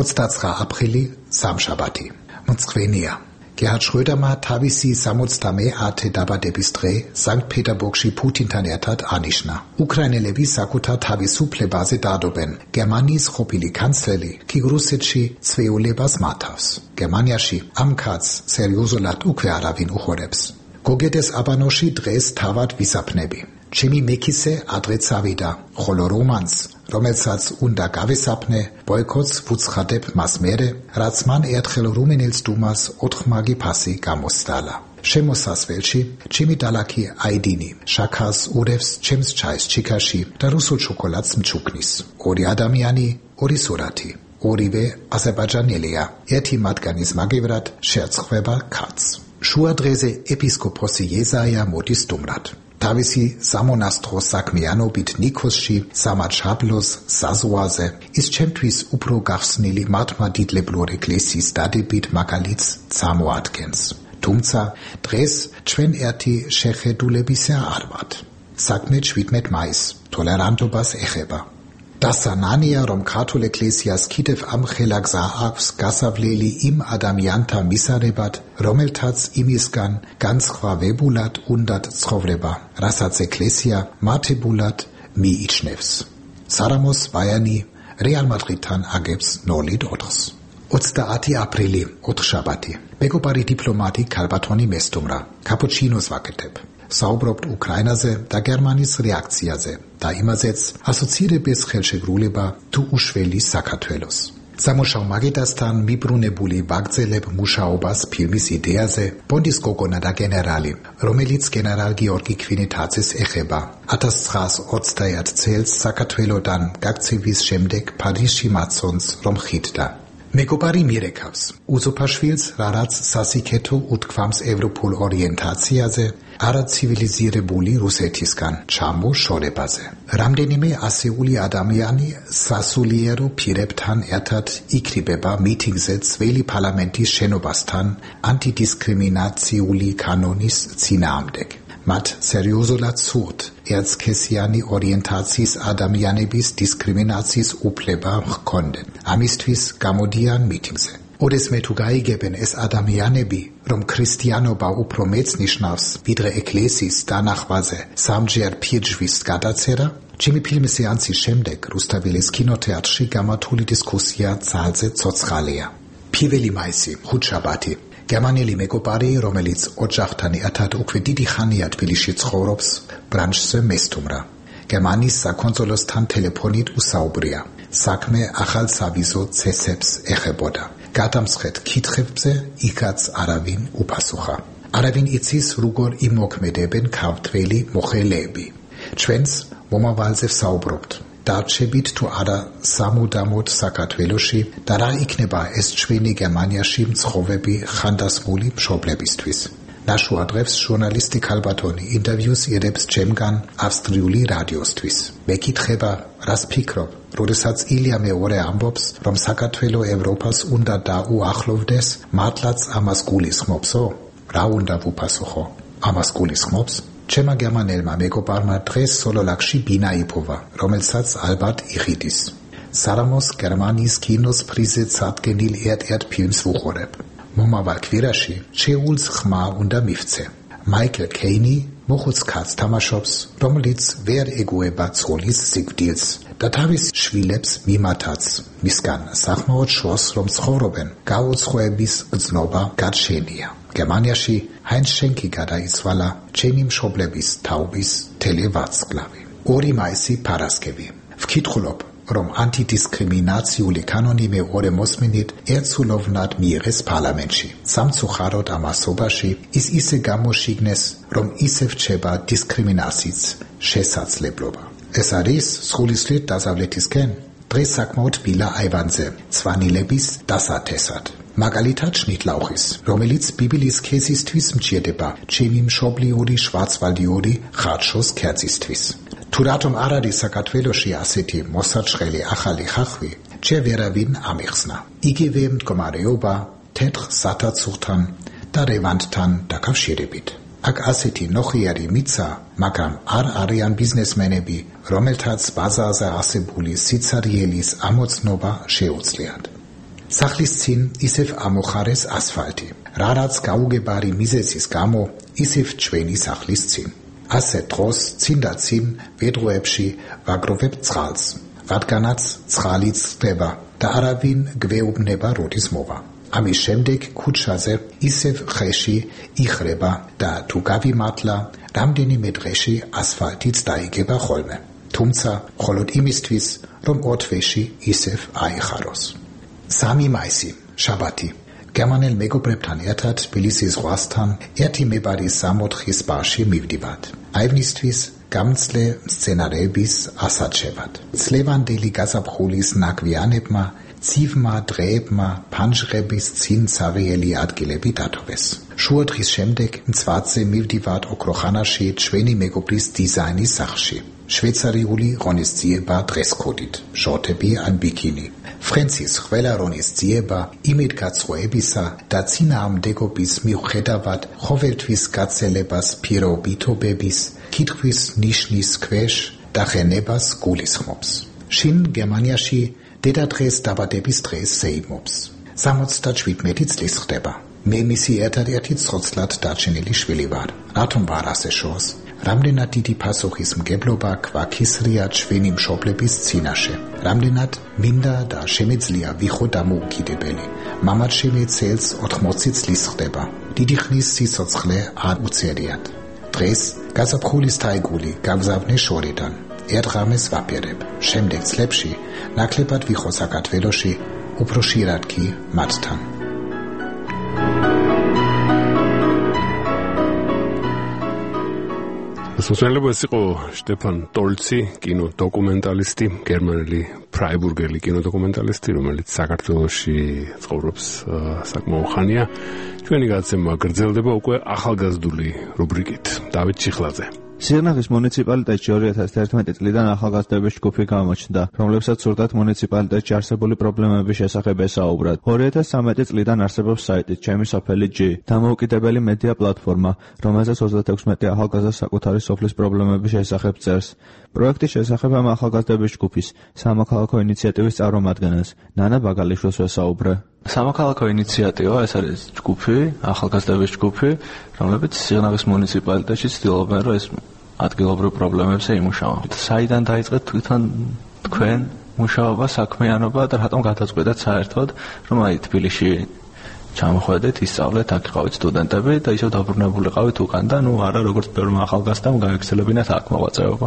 ოცდაცხრა აპრილი სამშაბათი. მწვენეა. გერჰარდ შროედერმა თავისი სამოცდამეათე დაბადების დღე სანქტ-პეტერბურგში პუტინთან ერთად ანიშნა. უკრაინელები საკუთარ თავისუფლებაზე დადობენ. გერმანიის ყოფილი კანცლერი კი რუსეთში ცვეულებას მართავს. გერმანიაში ამ კაცს სერიოზულად უკვე არავინ უხურებს. გოგედეს აბანოში დღეს თავად ვისაფნები. ჩემი მექისე ადრე წავიდა, ხოლო რომანს, რომელსაც უნდა გავესაფნე, ბოიკოტს ვუცხადებ მას მერე, რაც მან ერთხელ რუმინელს დუმას ოთხმაგი ფასი გამოსდალა. შემოსასვლელში ჩემი დალაქი აიდინი შაქას ურევს ჩემს ჩაის ჩიქაში და რუსულ შოკოლადს მჩუქნის. ორი ადამიანი, ორი სურათი. ორივე აზერბაიჯანელია. ერთი მათგანის მაგივრად შეაცხება კაცს. შუა დღეზე ეპისკოპოსი ეზაია მოდის სტუმრად. თავისი სამონასტრო საქმიანობით ნიქოსში, სამარშაბლოს საზღვარზე, ის ჩემთვის უფრო გახსნილი მართლმადიდებლური ეკლესიის დადებით მაგალითს წარმოადგენს. თუმცა დღეს ჩვენ ერთი შეხედულებისა არ ვართ. საქმე შვიდმეტ მაისს ტოლერანტობას ეხება. დასანანია, რომ ქართულ ეკლესიას კიდევ ამ ხელაგზა აქვს გასავლელი იმ ადამიანთა მისაღებად, რომელთაც იმისგან განსხვავებულად უნდათ ცხოვრება, რასაც ეკლესია მართებულად მიიჩნევს. სარამოს ვაიანი რეალ მადრიდთან აგებს ნოლით ოთხს. ოცდაათი აპრილი, ოთხშაბათი. მეგობარი დიპლომატი ქალბატონი მესტუმრა. კაპუჩინოს ვაკეთებ. საუბრობთ უკრაინაზე და გერმანიის რეაქციაზე და იმაზეც ასოცირების ხელშეკრულება თუ უშველი საქართველოს. სამუშაო მაგიდასთან მიბრუნებული ვაგრძელებ მუშაობას ფილმის იდეაზე ბონდის გოგონა და გენერალი, რომელიც გენერალ გიორგი ქვინეთაძეს ეხება. ათას ცხრაას ოცდაერთ წელს საქართველოდან გაქცევის შემდეგ პარიზში მაცონს რომ ხიდდა. მეგობარი მირეკავს უზოფაშვილს, რაც სასიკეთო უთქვამს ევროპულ ორიენტაციაზე, არაცივილიზირებული რუსეთისგან ჩამოშორებაზე. რამდენიმე ასეული ადამიანი სასულიერო პირებთან ერთად იქრიბება მიტინგზე ძველი პარლამენტის შენობასთან ანტიდისკრიმინაციული კანონის წინააღმდეგ. მათ სერიოზულად სურთ ერთსქესიანი ორიენტაციის ადამიანების დისკრიმინაციის უფლება ჰქონდეთ. ამისთვის გამოდიან მიტინგზე. ოდესმე თუ გაიგებენ ეს ადამიანები, რომ ქრისტიანობა უფრო მეც ნიშნავს, ვიდრე ეკლესიის დანახვაზე სამჯერ ფირჯვის გადაწერა, ჩემი ფილმის სეანსის შემდეგ რუსთაველის კინოთეატრში გამართული დისკუსია ძალზე ცოცხალია. პირველი მაისი, ხუთშაბათი. გერმანელი მეგობარი, რომელიც ოჯახთან ერთად უკვე დიდი ხანია თბილისში ცხოვრობს, ბრანშზე მესტუმრა. გერმანიის საკონსულოსთან ტელეფონით უსაუბრია. საქმე ახალ სავიზო წესებს ეხებოდა. გადამსხეთ კითხვებზე იქაც არავინ უპასუხა. არავინ იცის, როგორ იმოქმედებენ ქართველი მოხელეები. ჩვენს მომავალზე ვსაუბრობთ. დარჩებით თუ არა სამუდამოდ საქართველოში და რა იქნება ეს ჩვენი გერმანიაში მცხოვრები ხანდასმული მშობლებისთვის. ნაშუა დღეს ჟურნალისტი ქალბატონი ინტერვიუს იღებს ჩემგან ავსტრიული რადიოსთვის. მეკითხება, რას ფიქრობ, როდესაც ილია მეორე ამბობს, რომ საქართველო ევროპას უნდა დაუახლოვდეს, მართლაც ამას გულისხმობსო? რა უნდა ვუპასუხო? ამას გულისხმობს? ჩემმა გერმანელმა მეგობარმა დღეს სოლოლაკში ბინა იპოვა, რომელსაც ალბათ იხიდის. სარამოს გერმანიის კინოს პრიზზე წარდგენილ ერთ-ერთ ფილმს ვუყურებ. მომავალ კვირაში შეულს ხმა უნდა მივცე. მაიკლ კეინი მოხუც კაცს თამაშობს, რომელიც ვერ ეგუება ცოლის სიკვდილს და თავის შვილებს მიმათაც მისგან სახმაოდ შოს რომ ცხოვრობენ, გაუცხოების გრძნობა გარშენია. გერმანიაში ჰაინც შენკი გადაიცვალა ჩემი მშობლების თაობის თელევაცკლავი. ორი მაისი ფარასკევი. ვკითხულობ, რომ ანტიდისკრიმინაციული კანონი მეორე მოსმენით ერთსულოვნად მიიღეს პარლამენტში. სამწუხაროდ ამასობაში ის ისე გამოშიგნეს, რომ ისევ რჩება დისკრიმინაციის შესაძლებლობა. ეს არის სულისკვეთ დასავლეთისკენ დღეს საკმაოდ ბილა აივანზე ცვანილების დასათესად. მაგალითად შნიტლაუხის, რომელიც ბიბლიის ქესისთვის მჭირდება ჩემი მშობლიური შვარცვალდიური ხარშოს ქერცისთვის. თუ რატომ არ არის საქართველოში ასეთი მოსაჩხელი ახალი ხახვი, ჯერ ვერავინ ამიხსნა. იგივე მდგომარეობა თეთრ სათაცურთან და რევანდთან დაკავშირებით. აქ ასეთი ნოხიარი მიცა, მაგრამ არ არიან ბიზნესმენები, რომელთაც ბაზარზე ასებული სიცარიელის ამოცნობა შეუძლიათ. სახლის წინ ისევ ამოხარეს ასფალტი, რარაც გაუგებარი მიზეზის გამო ისევ ჩვენი სახლის წინ. ასე დროს წინ და წინ ვედროებში ვაგროვებ წყალს, რადგანაც წყალი წდება და არავინ გვეუბნება როდის მოვა. ამის შემდეგ ქუჩაზე ისევ ხეში იხრება და თუ გავიმართლა, რამდენიმე დღეში ასფალტიც დაიგება ხოლმე. თუმცა მხოლოდ იმისთვის, რომ ორ თვეში ისევ აიხაროს. სამი მაისი, შაბათი. გერმანელ მეგობრებთან ერთად თბილისის ზღვასთან ერთი მებარის სამოთხის ბარში მივდივართ. აივნისთვის გამძლე სცენარეების ასაჩევად. წლევანდელი გაზაფხულის ნაგვიანებმა, ცივმა დღეებმა ფანჯრების წინ ცარიელი ადგილები დათოვეს. შუა დღის შემდეგ მწვაძე მივდივართ ოქროხანაში ჩვენი მეგობრის დიზაინის სახლში. შვეიცარიული ღონისძიება დღესკოდით, შორტები ან ბიკინი. ფრენცის ყველა ღონისძიება იმედგაცრუებისა და წინააღმდეგობის მიუხედავად ყოველთვის გაცელებას პირობითობების, კითხვის ნიშნის ქვეშ დახენებას გულისხმობს. შინ გერმანიაში დედადღეს დაბადების დღეს ზეიმობს. სამოცდაშვიდმეტი წლის ხდება. მე მისი ერთადერთი ცოცხლად დარჩენილი შვილი ვარ. რატომ ვარ ასე შორს? რამდენად დიდი პასუხისმგებლობა გვაქისრია ჩვენი მშობლების წინაშე. რამდენად მინდა და შემეძლია ვიყო დამოუკიდებელი. მამაც შემეცელს ოთხმოცი წლის ხდება. დიდი ხნის სიცოცხლე არ უცერიათ. დღეს გაზაფხულის თაიგული გავზავნე შორიდან. ერთ ღამეს ვაპირებ. შემდეგ წლებში ნაკლებად ვიყო საქართველოში, უფრო ხშირად კი მათთან. სოციალურ ეს იყო შტეფან ტოლცი, კინო დოკუმენტალისტი, გერმანელი ფრაიბურგელი კინო დოკუმენტალისტი, რომელიც საქართველოში ცხოვრობს საკმაო ხანია. ჩვენი გადაცემა გრძელდება უკვე ახალგაზრდული რუბრიკით. დავით ჩიხლაძე. სიღნაღის მუნიციპალიტეტში ორი ათას თერთმეტი წლიდან ახალგაზრდების ჯგუფი გამოჩნდა, რომლებსაც სურდათ მუნიციპალიტეტში არსებული პრობლემების შესახებ ესაუბრათ. ორი ათას ცხრამეტი წლიდან არსებობს საიტი ჩემი სოფელი ჯი, დამოუკიდებელი მედია პლატფორმა, რომელზეც ოცდათექვსმეტი ახალგაზრდა საკუთარი სოფლის პრობლემების შესახებ წერს. პროექტის შესახებ ამ ახალგაზრდების ჯგუფის სამოქალაქო ინიციატივის წარმომადგენელს ნანა ბაგალიშვილს ვესაუბრე. სამოქალაქო ინიციატივა ეს არის ჯგუფი, ახალგაზრდების ჯგუფი, რომლებიც სიღნაღის მუნიციპალიტეტში ცდილობენ, რომ ეს ადგილობრივ პრობლემებზე იმუშავა. საიდან დაიწყეთ თვითონ თქვენ მუშაობა, საქმიანობა და რატომ გადაწყვეტათ საერთოდ, რომ აი თბილისში ჩამოხვედით, ისწავლეთ, აქ იყავით სტუდენტები და ისევ დაბრუნებულიყავით უკან და ნუ არა როგორც ბევრმა ახალგაზრდამ გაექცელებინათ აქ მოღვაწეობა.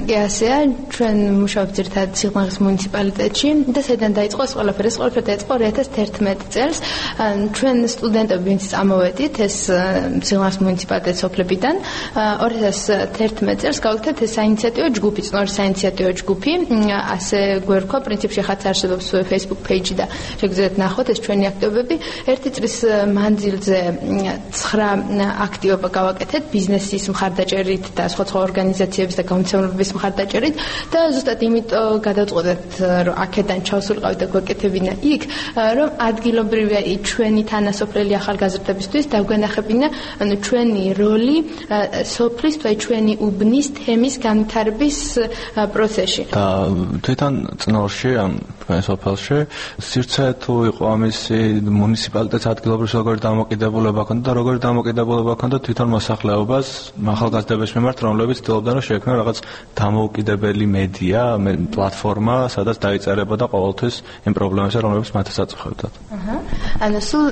კი ასეა, ჩვენ მუშაობთ ერთად სიღნაღის მუნიციპალიტეტში და საიდან დაიწყო ეს ყველაფერი? ეს ყველაფერი დაიწყო ორი ათას თერთმეტი წელს. ჩვენ სტუდენტები ვინც წამოვედით ეს სიღნაღის მუნიციპალიტეტის სოფლებიდან, ორი ათას თერთმეტი წელს გავაკეთეთ ეს საინიციატივო ჯგუფი, წნორის საინიციატივო ჯგუფი, ასე გვერქვა, პრინციპში ხაც არსებობს Facebook page და შეგიძლიათ ნახოთ ეს ჩვენი აქტივობები. ერთი წლის მანძილზე ცხრა აქტივობა გავაკეთეთ ბიზნესის მხარდაჭერით და სხვა სხვა ორგანიზაციების და გამოცემლობების მხარდაჭერით და ზუსტად იმიტომ გადავწყვეტეთ რომ აქედან ჩავსულიყავით და გვეკეთებინა იქ რომ ადგილობრივია ჩვენი თანასოფლელი ახალგაზრდებისთვის დაგვენახებინა ანუ ჩვენი როლი სოფლის თუ ჩვენი უბნის თემის განვითარების პროცესში და თვითონ წნორში ან სოფელში სივრცე თუ იყო ამისი მუნიციპალიტეტის ადგილობრივი როგორი დამოკიდებულება ჰქონდა და როგორი დამოკიდებულება ჰქონდა თვითონ მოსახლეობას ახალგაზრდების მიმართ, რომლებიც ცდილობდნენ რომ შეექმნან რაღაც დამოუკიდებელი მედია, პლატფორმა, სადაც დაიწერებოდა ყოველთვის იმ პრობლემებზე, რომლებიც მათაც აწუხებდათ. აჰა. ანუ სულ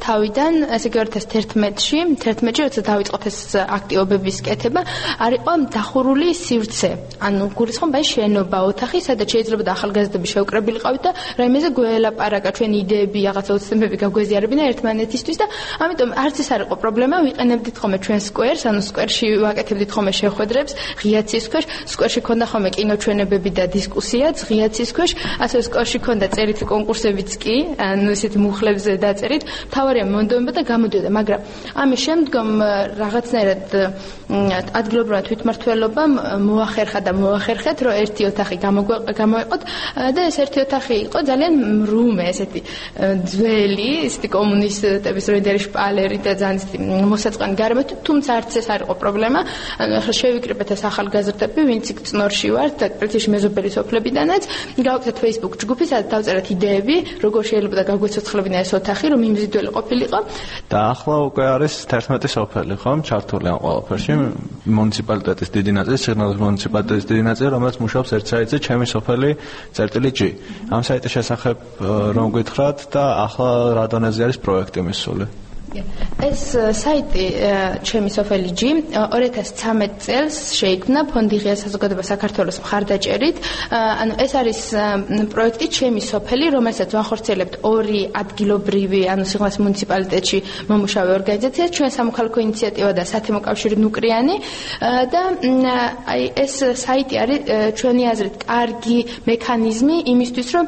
თავიდან, ესე იგი ორი ათას თერთმეტში, თერთმეტში როცა დაიწყოთ ეს აქტივობების კეთება, არ იყო დახურული სივრცე. ანუ გულისხმობ აი შენობა, ოთახი, სადაც შეიძლება ახალგაზრდები შეუკრებილიყავით და რაიმეზე გველაპარაკა ჩვენი იდეები, რაღაცა უცნებები გაგვეზიარებინა ერთმანეთისთვის და ამიტომ არც ეს არ იყო პრობლემა, ვიყენებდით ხოლმე ჩვენ სკვერს, ანუ სკვერში ვაკეთებდით ხოლმე შეხვედრებს, ღია ცის ქვეშ, სკვერში ქონდა ხოლმე კინოჩვენებები და დისკუსიაც, ღია ცის ქვეშ, ასევე სკვერში ქონდა წერითი კონკურსებიც კი, ანუ ესეთი მუხლებზე დაწერით, მთავარია მონდომება და გამოდიოდა, მაგრამ ამის შემდგომ რაღაცნაირად ადგილობრივმა თვითმმართველობამ მოახერხა და მოახერხეთ, რომ ერთი ოთახი გამოეყოთ და ეს ერთი ოთახი იყო ძალიან მრუმე, ესეთი ძველი, ესეთი კომუნისტების როდერი შპალერი და ძალიან ესეთი მოსაწყენი გარემოთი, თუმცა არც ეს არ იყო პრობლემა. ანუ ახლა შევიკრიბეთ ეს ახალგაზრდები, ვინც იქ წნორში ვართ და პრინციპში მეზობელი სოფლებიდანაც, გავაკეთეთ Facebook ჯგუფი, სადაც დავწერეთ იდეები, როგორ შეიძლება და გაგვეცოცხლებინა ეს ოთახი, რომ იმზიდველი ყოფილიყო. და ახლა უკვე არის თერთმეტი სოფელი, ხომ? ჩართული ამ ყველაფერში, მუნიციპალიტეტის დიდი ნაწილი, სიღნაღის მუნიციპალიტეტის დიდი ნაწილი, რომელიც მუშაობს ერთ საიტზე, ჩემი სოფელი წერტილი G. ამ საიტის შესახებ რომ გითხრათ და ახლა რა დონეზე არის პროექტი მისული? ეს საიტი ჩემი სოფელი G ორი ათას ცხრამეტი წელს შეიქმნა ფონდი ღია საზოგადოება საქართველოს მხარდაჭერით. ანუ ეს არის პროექტი ჩემი სოფელი, რომელსაც ვახორციელებთ ორი ადგილობრივი, ანუ სიღნაღის მუნიციპალიტეტში მომუშავე ორგანიზაცია, ჩვენ სამოქალაქო ინიციატივა და სათემო კავშირი ნუკრიანი და აი ეს საიტი არის ჩვენი აზრით კარგი მექანიზმი იმისთვის, რომ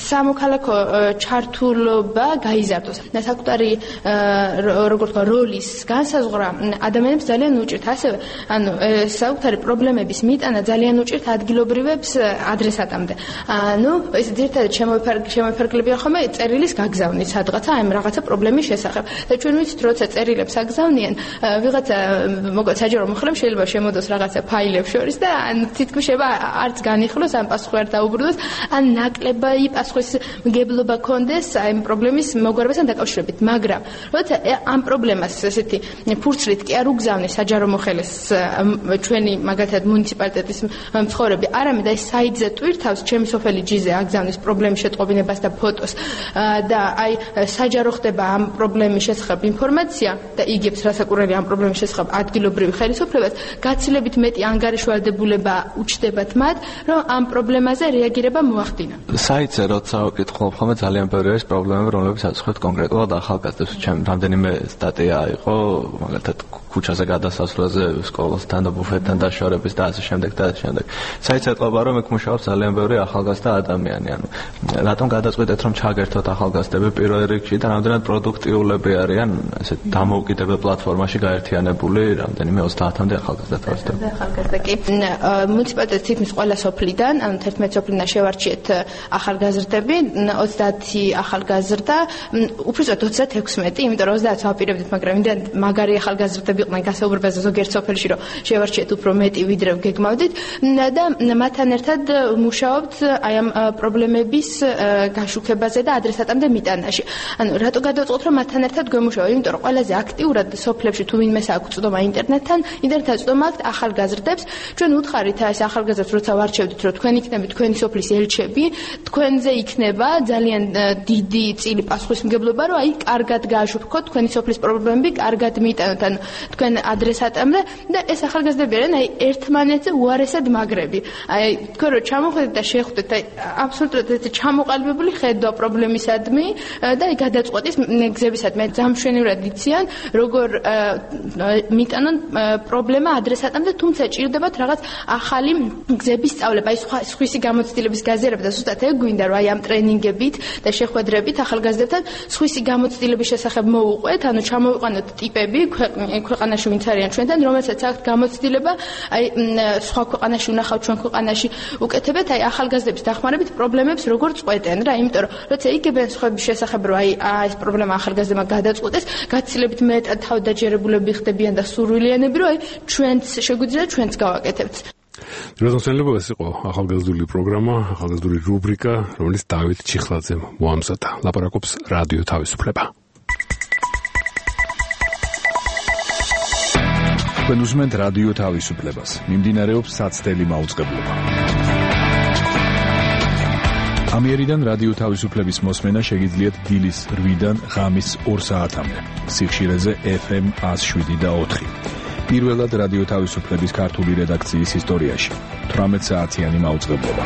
სამოქალაქო ჩართულობა გაიზარდოს. საკუთარი როგორც როლის განსაზღვრა ადამიანებს ძალიან უჭირთ. ასევე ანუ საკუთარი პრობლემების მიტანა ძალიან უჭირთ ადგილობრივებს ადრესატამდე. ანუ ეს ძირითადად შემოიფარგლებიან ხოლმე წერილის გაგზავნით სადღაცა აი რაღაცა პრობლემის შესახებ. და ჩვენ ვიცით, როცა წერილებს აგზავნიან, ვიღაცა მოკლედ საჯარო მომხრემ შეიძლება შემოდოს რაღაცა ფაილებს შორის და ან თითქმის შეიძლება არც განიხილოს, ან პასუხი არ დაუბრუნდეს, ან ნაკლები პასუხის მგებლობა კონდეს აი პრობლემის მოგვარებასთან დაკავშირებით. მაგრამ როცა ამ პრობლემას ესეთი ფურცლით კი არ უგზავნის საჯარო მოხელეს ჩვენი მაგალითად მუნიციპალიტეტის მცხოვრები, არამედ აი საიტზე ტვირთავს ჩემი სოფელი G-ზე აგზავნის პრობლემის შეტყობინებას და ფოტოს და აი საჯარო ხდება ამ პრობლემის შესახებ ინფორმაცია და იგებს რასაკურველი ამ პრობლემის შესახებ ადგილობრივი ხელისუფლებას, გაცილებით მეტი ანგარიშვალდებულება უჩნდებათ მათ, რომ ამ პრობლემაზე რეაგირება მოახდინა. საიტზე როცა ვკითხულობ, ხოლმე ძალიან ბევრი არის პრობლემები, რომლებიც აწუხებთ კონკრეტულად ახალგაზრდებს. ჩემ რამდენიმე სტატია იყო, მაგალითად ქუჩაზე გადასასვლელზე, სკოლასთან და ბუფეტთან დაშორების და ასე შემდეგ და ასე შემდეგ. საიტს ეტყობა, რომ იქ მუშაობს ძალიან ბევრი ახალგაზრდა ადამიანი. ანუ რატომ გადაწყვეტეთ, რომ ჩაგერთოთ ახალგაზრდები პირველ რიგში და რამდენად პროდუქტიულები არიან ესეთ დამოუკიდებელ პლატფორმაში გაერთიანებული რამდენიმე ოცდაათამდე ახალგაზრდა თავისთავად. ახალგაზრდა კი მუნიციპალიტეტის თითქმის ყველა სოფლიდან, ანუ თერთმეტი სოფლიდან შევარჩიეთ ახალგაზრდები, ოცდაათი ახალგაზრდა, უფრო ზუსტად ოცდათექვსმეტი, იმიტომ რომ ოცდაათს ვაპირებდით, მაგრამ იმდენ მაგარი ახალგაზრდები იყვნენ გასაუბრებაზე ზოგიერთ სოფელში, რომ შევარჩიეთ უფრო მეტი ვიდრე გეგმავდით და მათთან ერთად მუშაობთ აი ამ პრობლემების გაშუქებაზე და ადრესატამდე მიტანაში. ანუ რატო გადავწყოთ, რომ მათთან ერთად გვემუშაო? იმიტომ რომ ყველაზე აქტიურად სოფლებში თუ ვინმეს აქვს წვდომა ინტერნეტთან, ინტერნეტთან წვდომა აქვს ახალგაზრდებს. ჩვენ უთხარით ეს ახალგაზრდებს, როცა ვარჩევდით, რომ თქვენ იქნებით თქვენი სოფლის ელჩები, თქვენზე იქნება ძალიან დიდი წილი პასუხისმგებლობა, რომ აი კარგად გააშუქოთ თქვენი სოფლის პრობლემები, კარგად მიიტანოთ ან თქვენ ადრესატამდე და ეს ახალგაზრდები არიან აი ერთმანეთზე უარესად მაგრები. აი თქვენ რო ჩამოხვდეთ და შეხვდეთ აი აბსოლუტურად ეს ჩამოყალიბებული ხედვა პრობლემისადმი და აი გადაწყვეტის გზებისადმი ძამშვენივრად იციან როგორ მიტანონ პრობლემა ადრესატამდე, თუმცა ჭირდებათ რაღაც ახალი გზების სწავლება, აი სხვა სხვისი გამოცდილების გაზიარება და ზუსტად ეგ გვინდა რომ აი ამ ტრენინგებით და შეხვედრებით ახალგაზრდებთან სხვისი გამოცდილების შესახებ მოუყვეთ, ანუ ჩამოვიყვანოთ ტიპები ქვეყანაში ვინც არიან ჩვენთან, რომელსაც აქვთ გამოცდილება, აი სხვა ქვეყანაში უნახავთ, ჩვენ ქვეყანაში უკეთებთ, აი ახალგაზრდების დახმარებით პრობლემებს როგორ წყვეტენ რა, იმიტომ რომ როცა იგებენ სხვების შესახებ რომ აი ეს პრობლემა ახალგაზრდებმა გადაწყვეტეს, გაცილებით მეტად თავდაჯერებულები ხდებიან და სურვილიანები, რომ აი ჩვენც შეგვიძლია ჩვენც გავაკეთებთ. დროშელებო ეს იყო ახალგაზრდული პროგრამა, ახალგაზრდული რუბრიკა, რომელიც დავით ჩიხლაძემ მოამზადა. ლაპარაკობს რადიო თავისუფლება. თქვენ უსმენთ რადიო თავისუფლებას. მიმდინარეობს საცდელი მაუწყებლობა. ამიერიდან რადიო თავისუფლების მოსმენა შეგიძლიათ დილის რვიდან ღამის ორ საათამდე. სიხშირეზე ეფ ემ ათას შვიდი და ოთხი. პირველად რადიო თავისუფლების ქართული რედაქციის ისტორიაში თვრამეტ საათიანი მაუწყებლობა.